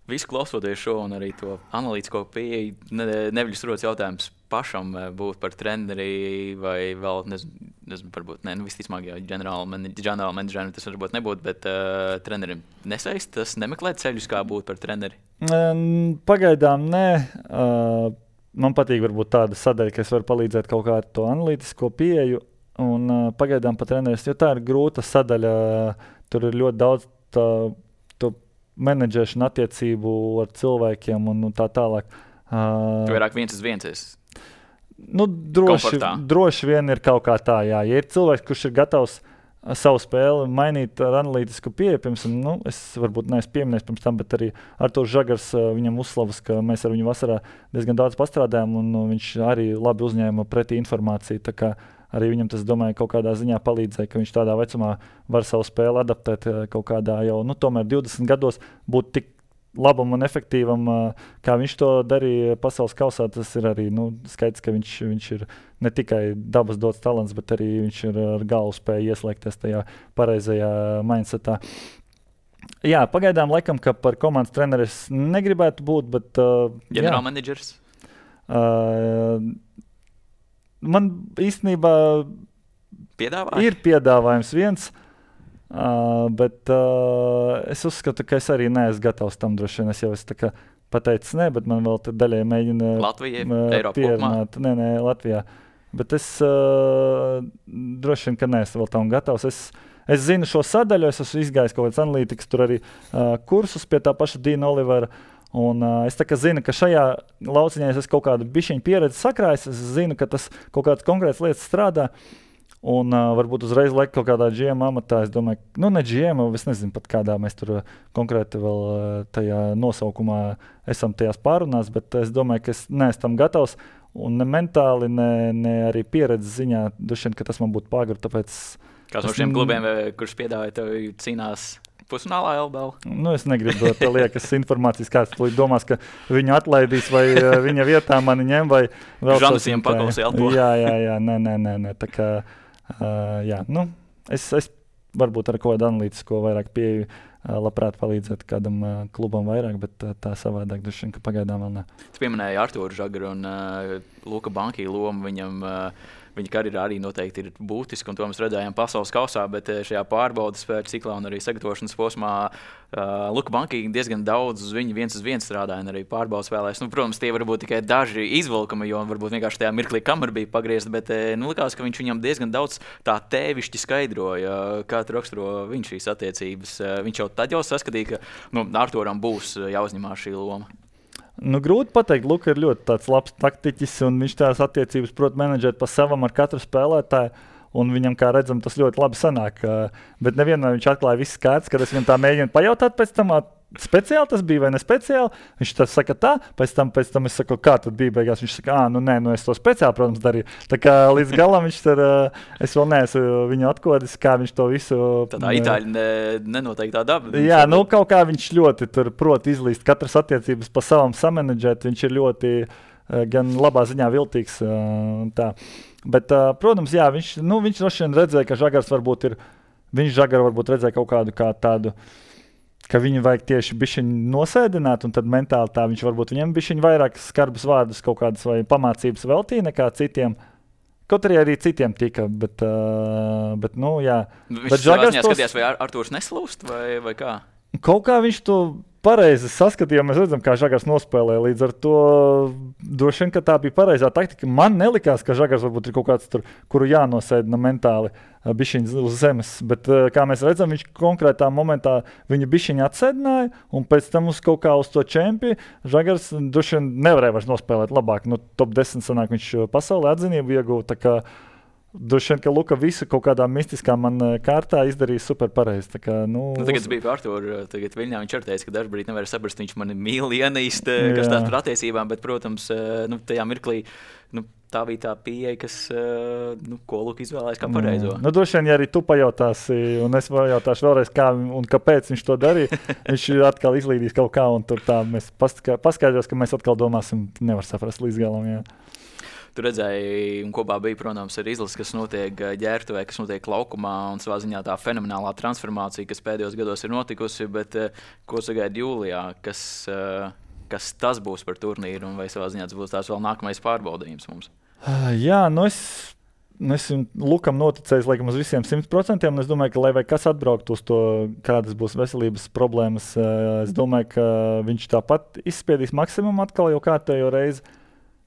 Visu klausoties šo un arī to analītisko pieeju, ne, neviļas rodas jautājums pašam būt par treneri vai vēl, nezinu, nezinu varbūt, ne, nu visticamāk, jā, ģenerāla menedžera tas varbūt nebūtu, bet uh, trenerim nesaist, tas nemeklēt ceļus, kā būt par treneri? Pagaidām nē. Uh, man patīk varbūt tāda sadaļa, ka es varu palīdzēt kaut kā ar to analītisko pieeju un uh, pagaidām par treneris, jo tā ir grūta sadaļa, tur ir ļoti daudz tā, menedžēšana attiecību ar cilvēkiem un, un tā tālāk. Uh, tu vairāk viens uz viens esi? Nu, droši, droši vien ir kaut kā tā, jā. Ja ir cilvēks, kurš ir gatavs savu spēli mainīt ar analītisku pieeju, piemēram, nu, es varbūt neesmu pieminējis pirms tam, bet arī Arturs Žagars, viņam uzslavas, ka mēs ar viņu vasarā diezgan daudz pastrādājām un nu, viņš arī labi uzņēma pretī informāciju, tā kā arī viņam tas, domāju, kaut kādā ziņā palīdzēja, ka viņš tādā vecumā var savu spēli adaptēt kaut kādā jau, nu, tomēr divdesmit gados būt tik labam un efektīvam, kā viņš to darīja pasaules kausā. Tas ir arī, nu, skaidrs, ka viņš, viņš ir ne tikai dabas dots talants, bet arī viņš ir ar galvu spēja ieslēgties tajā pareizajā mindsetā. Jā, pagaidām laikam, ka par komandas treneri es negribētu būt, bet... Uh, Ģenerālmenedžers? Uh, Man īstenībā Piedāvāja? ir piedāvājums viens, uh, bet uh, es uzskatu, ka es arī neesmu gatavs tam droši vien. Es jau esmu tā kā pateicis ne, bet man vēl daļai mēģina Latvijai, uh, Eiropā pierunāt. Nē, nē, Latvijā. Bet es uh, droši vien, ka neesmu vēl tam gatavs. Es, es zinu šo sadaļu, es esmu izgājis kaut kāds analītikas, tur arī uh, kursus pie tā paša Dīna Olivera. Un, uh, es tā kā zinu, ka šajā lauciņā es esmu kaut kādu bišķiņu pieredzi sakrājis, es zinu, ka tas kaut kādas konkrētas lietas strādā, un uh, varbūt uzreiz liek kaut kādā G M amatā, es domāju, nu ne G M, es nezinu pat kādā mēs tur uh, konkrēti vēl uh, tajā nosaukumā esam tajās pārunās, bet es domāju, ka es neesmu tam gatavs, un ne mentāli, ne, ne arī pieredzes ziņā, dušien, ka tas man būtu pagru, tāpēc... Kāds no šiem klubiem, kurš piedāvāja tev cīnās pusfinālā L B L? Nu, es negribu dot liekas informācijas, kāds tulīt domās, ka viņu atlaidīs vai viņa vietā mani ņem vai vēl Žanusiem pakaus elpo. Jā, jā, jā, nē, nē, nē, nē, tā kā, uh, jā, nu, es, es varbūt ar kaut kādu analītisko vairāk pieeju uh, labprāt palīdzēt kādam uh, klubam vairāk, bet uh, tā savādāk droši vien, ka pagaidām vēl ne. Tu pieminēji Arturu Žagaru un uh, Luka Bankī lomu viņam. Uh, Viņa karjerā arī noteikti ir būtiska, un to mēs redzējām pasaules kausā, bet šajā pārbaudas ciklā un arī sagatavošanas posmā uh, Luka Bankī diezgan daudz uz viņu viens uz viens strādāja, un arī pārbaudas vēlēs. Nu, protams, tie varbūt tikai daži izvilkumi, jo varbūt vienkārši tajā mirklī kamera bija pagriezta, bet nu, likās, ka viņš viņam diezgan daudz tā tēvišķi skaidroja, kā tu raksturo viņš šīs attiecības. Viņš jau tad jau saskatīja, ka nu, Arturam būs jāuzņemās šī loma. Nu, grūti pateikt, Luka ir ļoti tāds labs taktiķis, un viņš tās attiecības prot menedžēt pa savam ar katru spēlētāju, un viņam, kā redzam, tas ļoti labi sanāk. Bet nevienmēr viņš atklāja viss kārtas, kad es viņam tā mēģinu pajautāt pēc tam, speciāli tas bija vai ne speciāli. Viņš tā saka tā, pēc tam, pēc tam es saku, kā tad bija beigās. Viņš saka, ā, nu nē, nu es to speciāli, protams, darīju. Tā kā līdz galam viņš tur, es vēl neesmu viņu atkodis, kā viņš to visu... Tādā itāļi ne, nenoteiktā daba. Jā, nu kaut kā viņš ļoti tur prot izlīst katras attiecības pa savam samenedžēt. Viņš ir ļoti gan labā ziņā viltīgs un tā. Bet, protams, jā, viņš, nu, viņš droši vien redzēja, ka Žagars varbūt ir, viņš Žagaru varbūt redzēja kaut kādu kā tādu, ka viņu vajag tieši bišķiņu nosēdināt, un tad mentāli tā viņš varbūt viņam bišķiņu vairāk skarbus vārdus kaut kādas vai pamācības veltīja nekā citiem. Kaut arī arī citiem tika, bet, uh, bet nu, jā. Viņš bet Žagars tos... skatījās, vai Ar Arturs neslūst, vai, vai kā? Kaut kā viņš to pareizi saskatīja, mēs redzam, kā Žagars nospēlē. Līdz ar to droši vien, ka tā bija pareizā taktika. Man nelikās, ka Žagars varbūt ir kaut kāds tur, kuru jānosēdina mentāli bišķiņ uz zemes. Bet, kā mēs redzam, viņš konkrētā momentā viņu bišķiņu atsēdināja, un pēc tam uz kaut kā uz to čempi Žagars droši vien nevarēja vairs nospēlēt labāk. Nu, top desmit sanāk viņš pasaulē atzinību ieguva, tā kā droši vien, ka Luka visu kaut kādā mistiskā man kārtā izdarīja super pareizi. Tā kā, nu, nu, tagad es biju par Arturu, tagad Viļņā viņš arī teica, ka dažbrīd nevar saprast, viņš mani mīl ienīst, kas tās par attiecībām, bet, protams, nu, tajā mirklī, nu, tā bija tā pieeja, kas, uh, nu, ko Luka izvēlējās kā pareizo. Mm. Nu, droši vien, ja arī tu pajautāsi, un es pajautāšu vēlreiz, kā un kāpēc viņš to darīja, viņš atkal izlīdīs kaut kā, un tur tā mēs paskaidros, ka mēs atkal domāsim, nevar saprast līdz galam. Jā. Tu redzēji, un kopā bija, protams, arī izlases, kas notiek ģērbtuvē, kas notiek laukumā, un savā ziņā tā fenomenālā transformācija, kas pēdējos gados ir notikusi, bet uh, ko sagaida jūlijā, kas, uh, kas tas būs par turnīru, un vai savā ziņā tas būs tās vēl nākamais pārbaudījums mums? Jā, nu es, nu es Lukam noticēju, laikam, uz visiem simt procentiem, un es domāju, ka, lai vai kas atbrauktu uz to, kādas būs veselības problēmas, es domāju, ka viņš tāpat izspiedīs maksimumu atkal jau kārtējo reizi.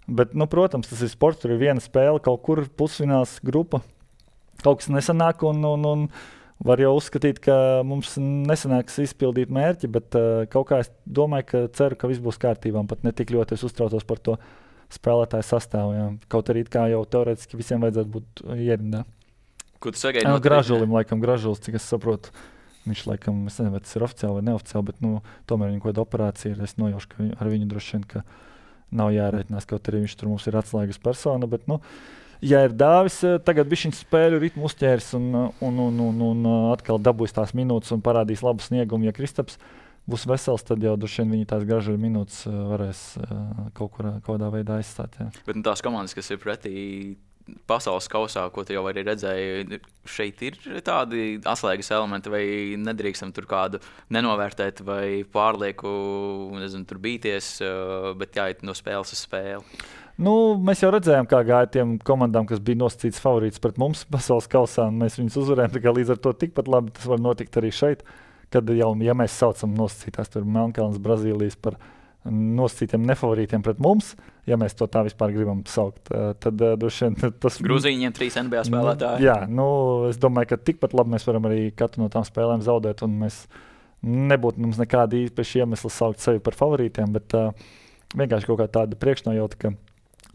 Bet, nu, protams, tas ir sports, tur ir viena spēle, kaut kur pusfināls grupa, kaut kas nesanāk, un, un, un var jau uzskatīt, ka mums nesanāks izpildīt mērķi, bet uh, kaut kā es domāju, ka ceru, ka viss būs kārtībā, un pat ne tik ļoti es uztraucos par to spēlētāju sastāvu. Jā. Kaut arī kā jau teorētiski visiem vajadzētu būt ierindā. Ko tu sagaidi no Gražulim, laikam, Gražulis, cik es saprotu, viņš laikam, es nezinu, vai tas ir oficiāli vai neoficiāli, bet, nu, tomēr viņa kaut kāda operācija ir, es nojaušu, ka ar viņu droši vien, ka nav jārēķinās, kaut arī viņš tur mums ir atslēgas persona, bet, nu, ja ir Dāvis, tagad viņš spēļu ritmu uzķērs un, un, un, un, un atkal dabūs tās minūtes un parādīs labu sniegumu, ja Kristaps būs vesels, tad jau droši vien viņi tās Gražuļa minūtes varēs kaut kur, kaut kādā veidā aizstāt. Jā. Bet nu, tās komandas, kas ir pretī pasaules kausā, ko tu jau arī redzēji, šeit ir tādi atslēgas elementi, vai nedrīkstam tur kādu nenovērtēt vai pārlieku, nezinu, tur bīties, bet jāiet no spēles uz spēli. Nu, mēs jau redzējām, kā gāja tiem komandām, kas bija nosacīts favorīts pret mums pasaules kausā, un mēs viņus uzvarējām, tā kā līdz ar to tikpat labi tas var notikt arī šeit. Kad jau, ja mēs saucam nosacītās tur Melnkalnes, Brazīlijas par nosacītiem nefavorītiem pret mums, ja mēs to tā vispār gribam saukt, tad droši vien tas... Grūzīņiem trīs N B A spēlētāji. Nu, jā, nu, es domāju, ka tikpat labi mēs varam arī katru no tām spēlēm zaudēt, un mēs nebūtu mums nekādi īpaši iemesli saukt sevi par favorītiem, bet uh, vienkārši kaut kā tāda priekšnojauta, ka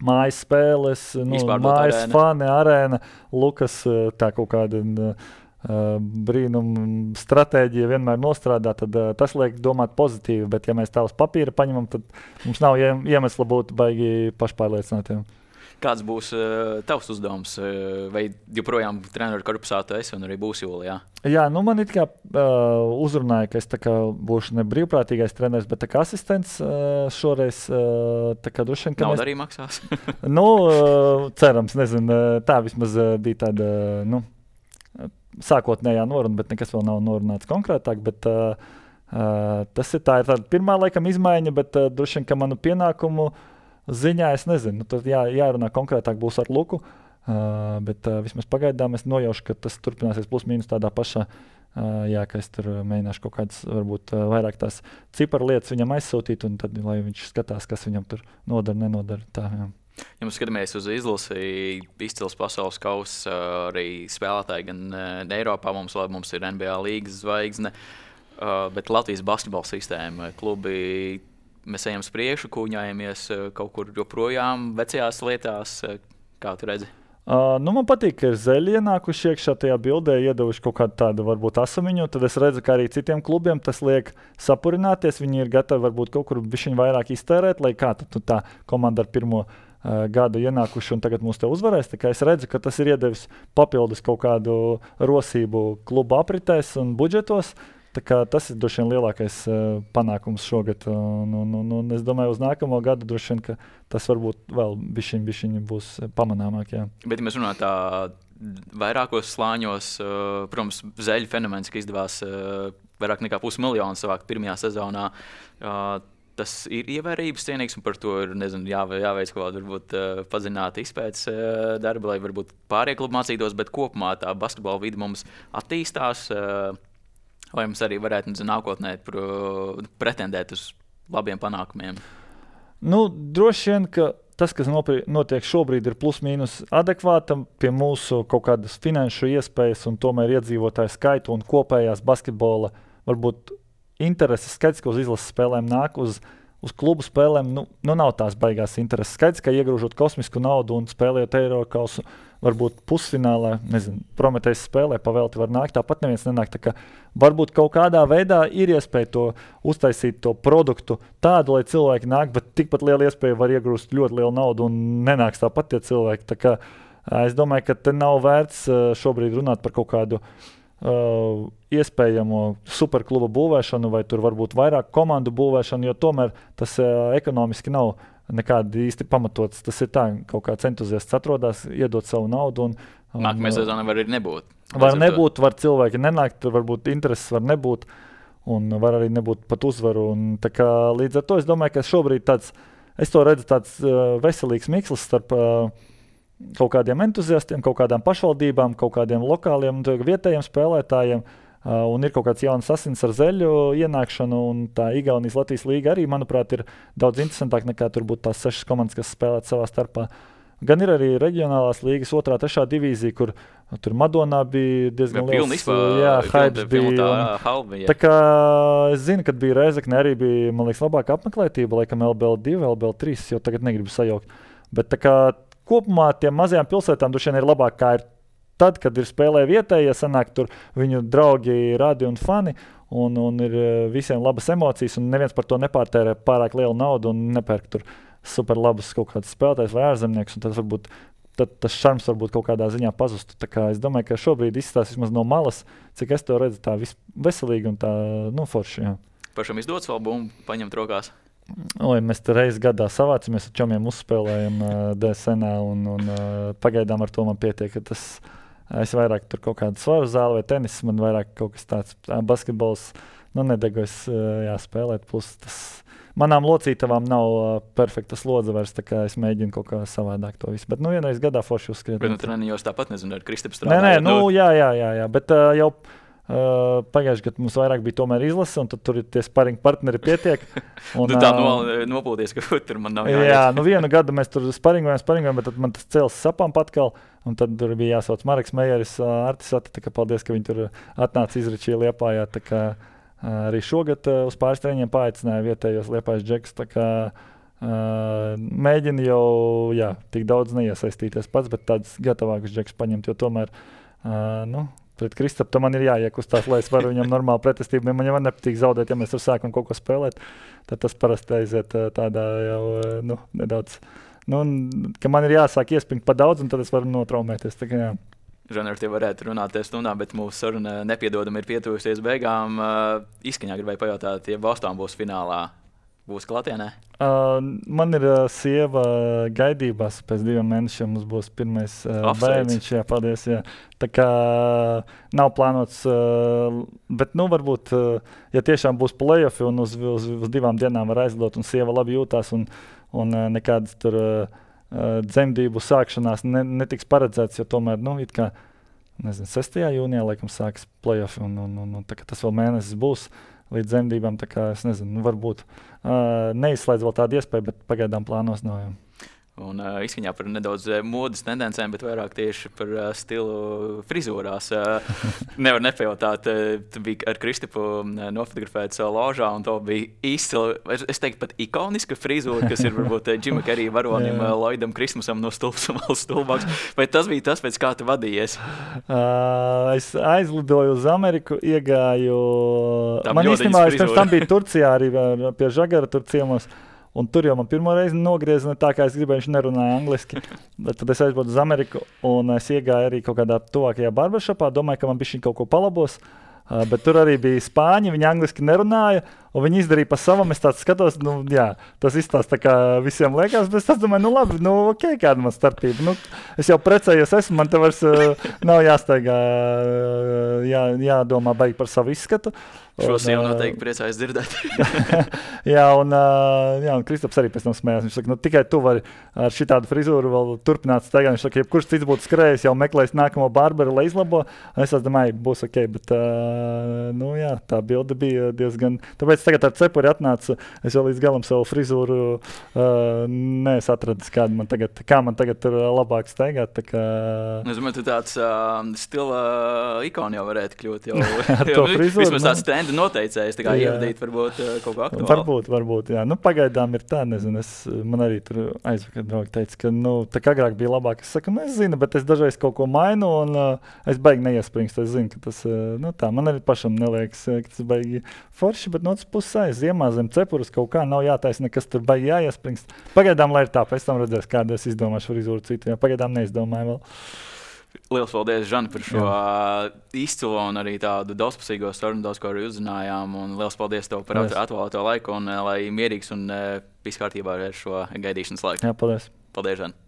mājas spēles, nu, mājas arēna. Fani, arēna, Lukas, tā kaut kāda... Uh, brīnuma stratēģija vienmēr nostrādā, tad uh, tas liek domāt pozitīvi, bet ja mēs tā uz papīra paņemam, tad mums nav iemesla būt baigi pašpārliecinātiem. Kāds būs uh, tavs uzdevums? Uh, vai joprojām treneru korpusā tu esi un arī būs jūlijā? Jā, nu man it kā uh, uzrunāja, ka es tā kā būšu ne brīvprātīgais treneris, bet tā kā asistents uh, šoreiz. Uh, tā kā droši vien, ka Nauda mēs... arī maksās? nu, uh, cerams, nezinu, tā vismaz uh, bija tāda, nu, sākotnējā noruna, bet nekas vēl nav norunāts konkrētāk, bet uh, uh, tas ir tā, ir tāda pirmā laikam izmaiņa, bet uh, droši vien, ka manu pienākumu ziņā es nezinu, nu, tad jā, jārunā konkrētāk būs ar Luku, uh, bet uh, vismaz pagaidām es nojaušu, ka tas turpināsies plus mīnus tādā pašā, uh, jā, ka es tur mēģināšu kaut kādas, varbūt uh, vairāk tās ciparu lietas viņam aizsūtīt, un tad, lai viņš skatās, kas viņam tur nodara, nenodara, tā, jā. Ja mēs skatāmies uz izlasi, izcils pasaules kausa, arī spēlētāji gan Eiropā, mums, mums ir N B A līgas zvaigzne, bet Latvijas basketbola sistēma, klubi, mēs ejam uz priekšu, kūņājamies kaut kur joprojām vecajās lietās, kā tu redzi? Uh, nu man patīk, ka ir zeļi ienākuši iekšā tajā bildē, iedevuši kaut kādu tādu varbūt asamiņu, tad es redzu, ka arī citiem klubiem tas liek sapurināties, viņi ir gatavi varbūt kaut kur bišķiņ vairāk iztērēt, lai kā tad tā komanda ar pirmo uh, gadu ienākuši un tagad mūs te uzvarēs, tā kā es redzu, ka tas ir iedevis papildus kaut kādu rosību klubu apritēs un budžetos. Tā kā tas ir droši vien lielākais uh, panākums šogad. Un, un, un, un es domāju, uz nākamo gadu droši vien, ka tas varbūt vēl bišķiņ, bišķiņ būs pamanāmāk. Jā. Bet, ja mēs runājam tā vairākos slāņos, uh, protams, zeļu fenomens, ka izdevās uh, vairāk nekā pusmiljonu savākt pirmajā sezonā, uh, tas ir ievērības cienīgs, un par to ir, nezinu, jā, jāveic kaut kāda varbūt uh, padziļināta izpētes uh, darba, lai varbūt pārējie klubi mācītos, bet kopumā tā basketbola vide mums attīstās. Uh, Vai mums arī varētu nezinu, nākotnē pretendēt uz labiem panākumiem? Nu, droši vien, ka tas, kas notiek šobrīd, ir plus-mínus adekvātam pie mūsu kaut kādas finanšu iespējas un tomēr iedzīvotāju skaitu un kopējās basketbola varbūt intereses skaits, ka uz izlases spēlēm nāk uz, uz klubu spēlēm. Nu, nu nav tās baigās intereses skaits, ka iegrūžot kosmisku naudu un spēlējot Eirokausu varbūt pusfinālā, nezinu, Prometejs spēlē, pavēlti var nākt, tāpat neviens nenāk. Tā kā varbūt kaut kādā veidā ir iespēja to uztaisīt to produktu tādu, lai cilvēki nāk, bet tikpat liela iespēja var iegūst ļoti lielu naudu un nenāks tāpat tie cilvēki. Tā kā es domāju, ka te nav vērts šobrīd runāt par kaut kādu uh, iespējamo superkluba būvēšanu vai tur varbūt vairāk komandu būvēšanu, jo tomēr tas uh, ekonomiski nav nekādi īsti pamatots. Tas ir tā, kaut kāds entuziasts atrodas, iedot savu naudu. Un, un, Nākamajā sezonā var arī nebūt. Var nebūt, var cilvēki nenākt, varbūt intereses var nebūt, un var arī nebūt pat uzvaru. Un, tā kā, līdz ar to es domāju, ka šobrīd tāds, es to redzu tāds uh, veselīgs mikslis starp uh, kaut kādiem entuziastiem, kaut kādām pašvaldībām, kaut kādiem lokāliem un vietējiem spēlētājiem. Uh, un ir kaut kāds jauns asins ar zeļu ienākšanu, un tā Igaunijas Latvijas līga arī, manuprāt, ir daudz interesantāk nekā tur būtu tās sešas komandas, kas spēlēt savā starpā. Gan ir arī reģionālās līgas otrā, trešā divīzija, kur tur Madonā bija diezgan liels. Pilnībā, jā, hypes bija. Tā, un, halbi, tā kā es zinu, kad bija Rēzekne, arī bija, man liekas, labāka apmeklētība, laikam L B L divi, L B L trīs, jo tagad negribu sajaukt. Bet tā kā kopumā tiem mazajām pilsētām droši vien ir labāk, kā ir tad, kad ir spēlē vietējie, ja sanāk tur viņu draugi, radi un fani, un, un ir visiem labas emocijas, un neviens par to nepārtērē pārāk lielu naudu un nepērk tur super labus kaut kādus spēlētājus vai ārzemniekus, un tad varbūt tad tas šarms varbūt kaut kādā ziņā pazustu. Tā kā es domāju, ka šobrīd izstāsta vismaz no malas, cik es to redzu tā veselīgi un tā, nu, forši, jā. Pašam izdots vēl bumbu paņemt rokās? Oi, mēs te reizi gadā savācamies ar čomiem uzspēlējam uh, D S N-ā, un, un uh, pagaidām ar to man pietiek, ka tas es vairāk tur kaut kādu svaru zāli vai tenis, man vairāk kaut kas tāds basketbols, nu nedegu es jāspēlēt, plus tas manām locītavām nav uh, perfekta slodze vairs, tā kā es mēģinu kaut kā savādāk to visu, bet nu vienreiz gadā forši uzskriet. Bet nu treniņos tāpat, nezinu, ar Kristapu strādājot. Nē, nē, nu jā, jā, jā, jā, bet uh, jau uh, pagājuši gadu mums vairāk bija tomēr izlase, un tad tur ir tie sparing partneri pietiek. Un, tu tā uh, no, nopūties, ka tur man nav jāiet. Jā, nu vienu gadu mēs tur sparingojam, sparingojam, bet tad man tas cēls sapām patkal. Un tad tur bija jāsauc Mareks Mejeris, Artis Ati, tā kā paldies, ka viņi tur atnāca izračīja Liepājā. Tā kā arī šogad uz pāris treniņiem paaicināja vietējos Liepājas džekus. Tā kā mēģina jau, jā, tik daudz neiesaistīties pats, bet tāds gatavākus džekus paņemt, jo tomēr, nu, pret Kristapu man ir jāiekustās, lai es varu viņam normāli pretestību. Man jau nepatīk zaudēt, ja mēs tur sākam kaut ko spēlēt, tad tas parasti aiziet tādā jau, nu, nedaudz. Nu, ka man ir jāsāk iespringt pa daudz, un tad es varu notraumēties. Tā kā, jā. Žanar, tie varētu runāt stundā, bet mūsu saruna nepiedodami ir pietuvusies beigām. Uh, izskaņā gribēju pajautāt, ja Boston būs finālā, būs klātienē? Uh, man ir uh, sieva gaidībās, pēc diviem mēnešiem mums būs pirmais uh, bērniņš. Jā, paldies, jā. Tā kā nav plānots, uh, bet nu varbūt, uh, ja tiešām būs play-offi un uz, uz, uz divām dienām var aizlidot un sieva labi jūtās un un uh, nekādas tur uh, dzemdību sākšanās ne, netiks paredzēts, jo tomēr, nu, it kā, nezinu, sestajā jūnijā, laikam, sāks play-offi, un, un, un, un tā kā tas vēl mēnesis būs līdz dzemdībām, tā kā, es nezinu, nu, varbūt uh, neizslēdz vēl tādu iespēju, bet pagaidām plānos nav, jā. Un uh, izskaņā par nedaudz uh, modas tendencēm, bet vairāk tieši par uh, stilu frizūrās. Uh, nevar nepajautāt, uh, tu biji ar Kristapu uh, nofotografēts uh, ložā, un to bija izcila, es, es teiktu pat ikoniska frizūra, kas ir varbūt uh, Džima Kerija varonim uh, Lloydam Kristmusam no stulbsuma stulbāks. Vai tas bija tas, pēc kā tu vadījies? Uh, es aizlidoju uz Ameriku, iegāju... Tam man īstenībā, es pirms tam biju Turcijā arī pie Žagara tur ciemos. Un tur jau man pirmo reizi nogrieza ne tā, kā es gribēju, viņš nerunāja angliski. Bet tad es aizbraucu uz Ameriku un es iegāju arī kaut kādā tuvākajā barbershopā, domāju, ka man bišķiņ kaut ko palabos. Uh, bet tur arī bija spāņi, viņi angliski nerunāja, un viņi izdarīja pa savam. Es tāds skatos, nu jā, tas izstāsta tā kā visiem liekas, bet es tāds domāju, nu labi, nu ok, kāda man starpība. Nu, es jau precējos esmu, man te vairs uh, nav jāsteigā, uh, jā, jādomā baigi par savu izskatu. Šo sievu noteikti priecājas dzirdēt. jā, un, uh, jā, un Kristaps arī pēc tam smējās. Viņš saka, nu tikai tu vari ar šitādu frizūru vēl turpināt staigāt. Viņš saka, ja kurš cits būtu skrējis, jau meklējis nākamo barberu, lai izlabo. Un es domāju, būs ok, bet uh, nu jā, jā, tā bilde bija diezgan. Tāpēc tagad ar cepuri atnāca. Es vēl līdz galam savu frizūru uh, neesmu atradis, kāda man tagad, kā man tagad tur labāk staigāt. Tā kā... Es domāju, tu tāds uh, stila ikona jau varētu kļūt. Jau, ar to frizūru. Vismaz tāds trendu noteicējs, tā kā ievadīt varbūt uh, kaut kā aktuālu. Varbūt, varbūt, jā. Nu, pagaidām ir tā, nezinu, es, man arī tur aizvakar draugi teica, ka, nu, tā kā agrāk bija labāk. Es saku, nu, es zinu, bet es dažreiz kaut ko mainu un uh, es baigi neiespringstu. Es zinu, ka tas, uh, nu, tā, man arī pašam neliekas, ka tas baigi forši, bet no otras puses aiz ziemā zem cepures kaut kā nav jātaisa, nekas tur baigi jāiespringst. Pagaidām, lai ir tā, pēc tam redzēs, kādu es izdomāšu frizūru citu, jā, pagaidām neizdomāju vēl. Liels paldies, Žan, par šo jā. izcilo un arī tādu daudzpusīgo sarunu, daudz ko arī uzzinājām, un liels paldies tev par atvēlēto laiku, un lai mierīgs un viss kārtībā ar šo gaidīšanas laiku. Jā, paldies. Paldies, Žan.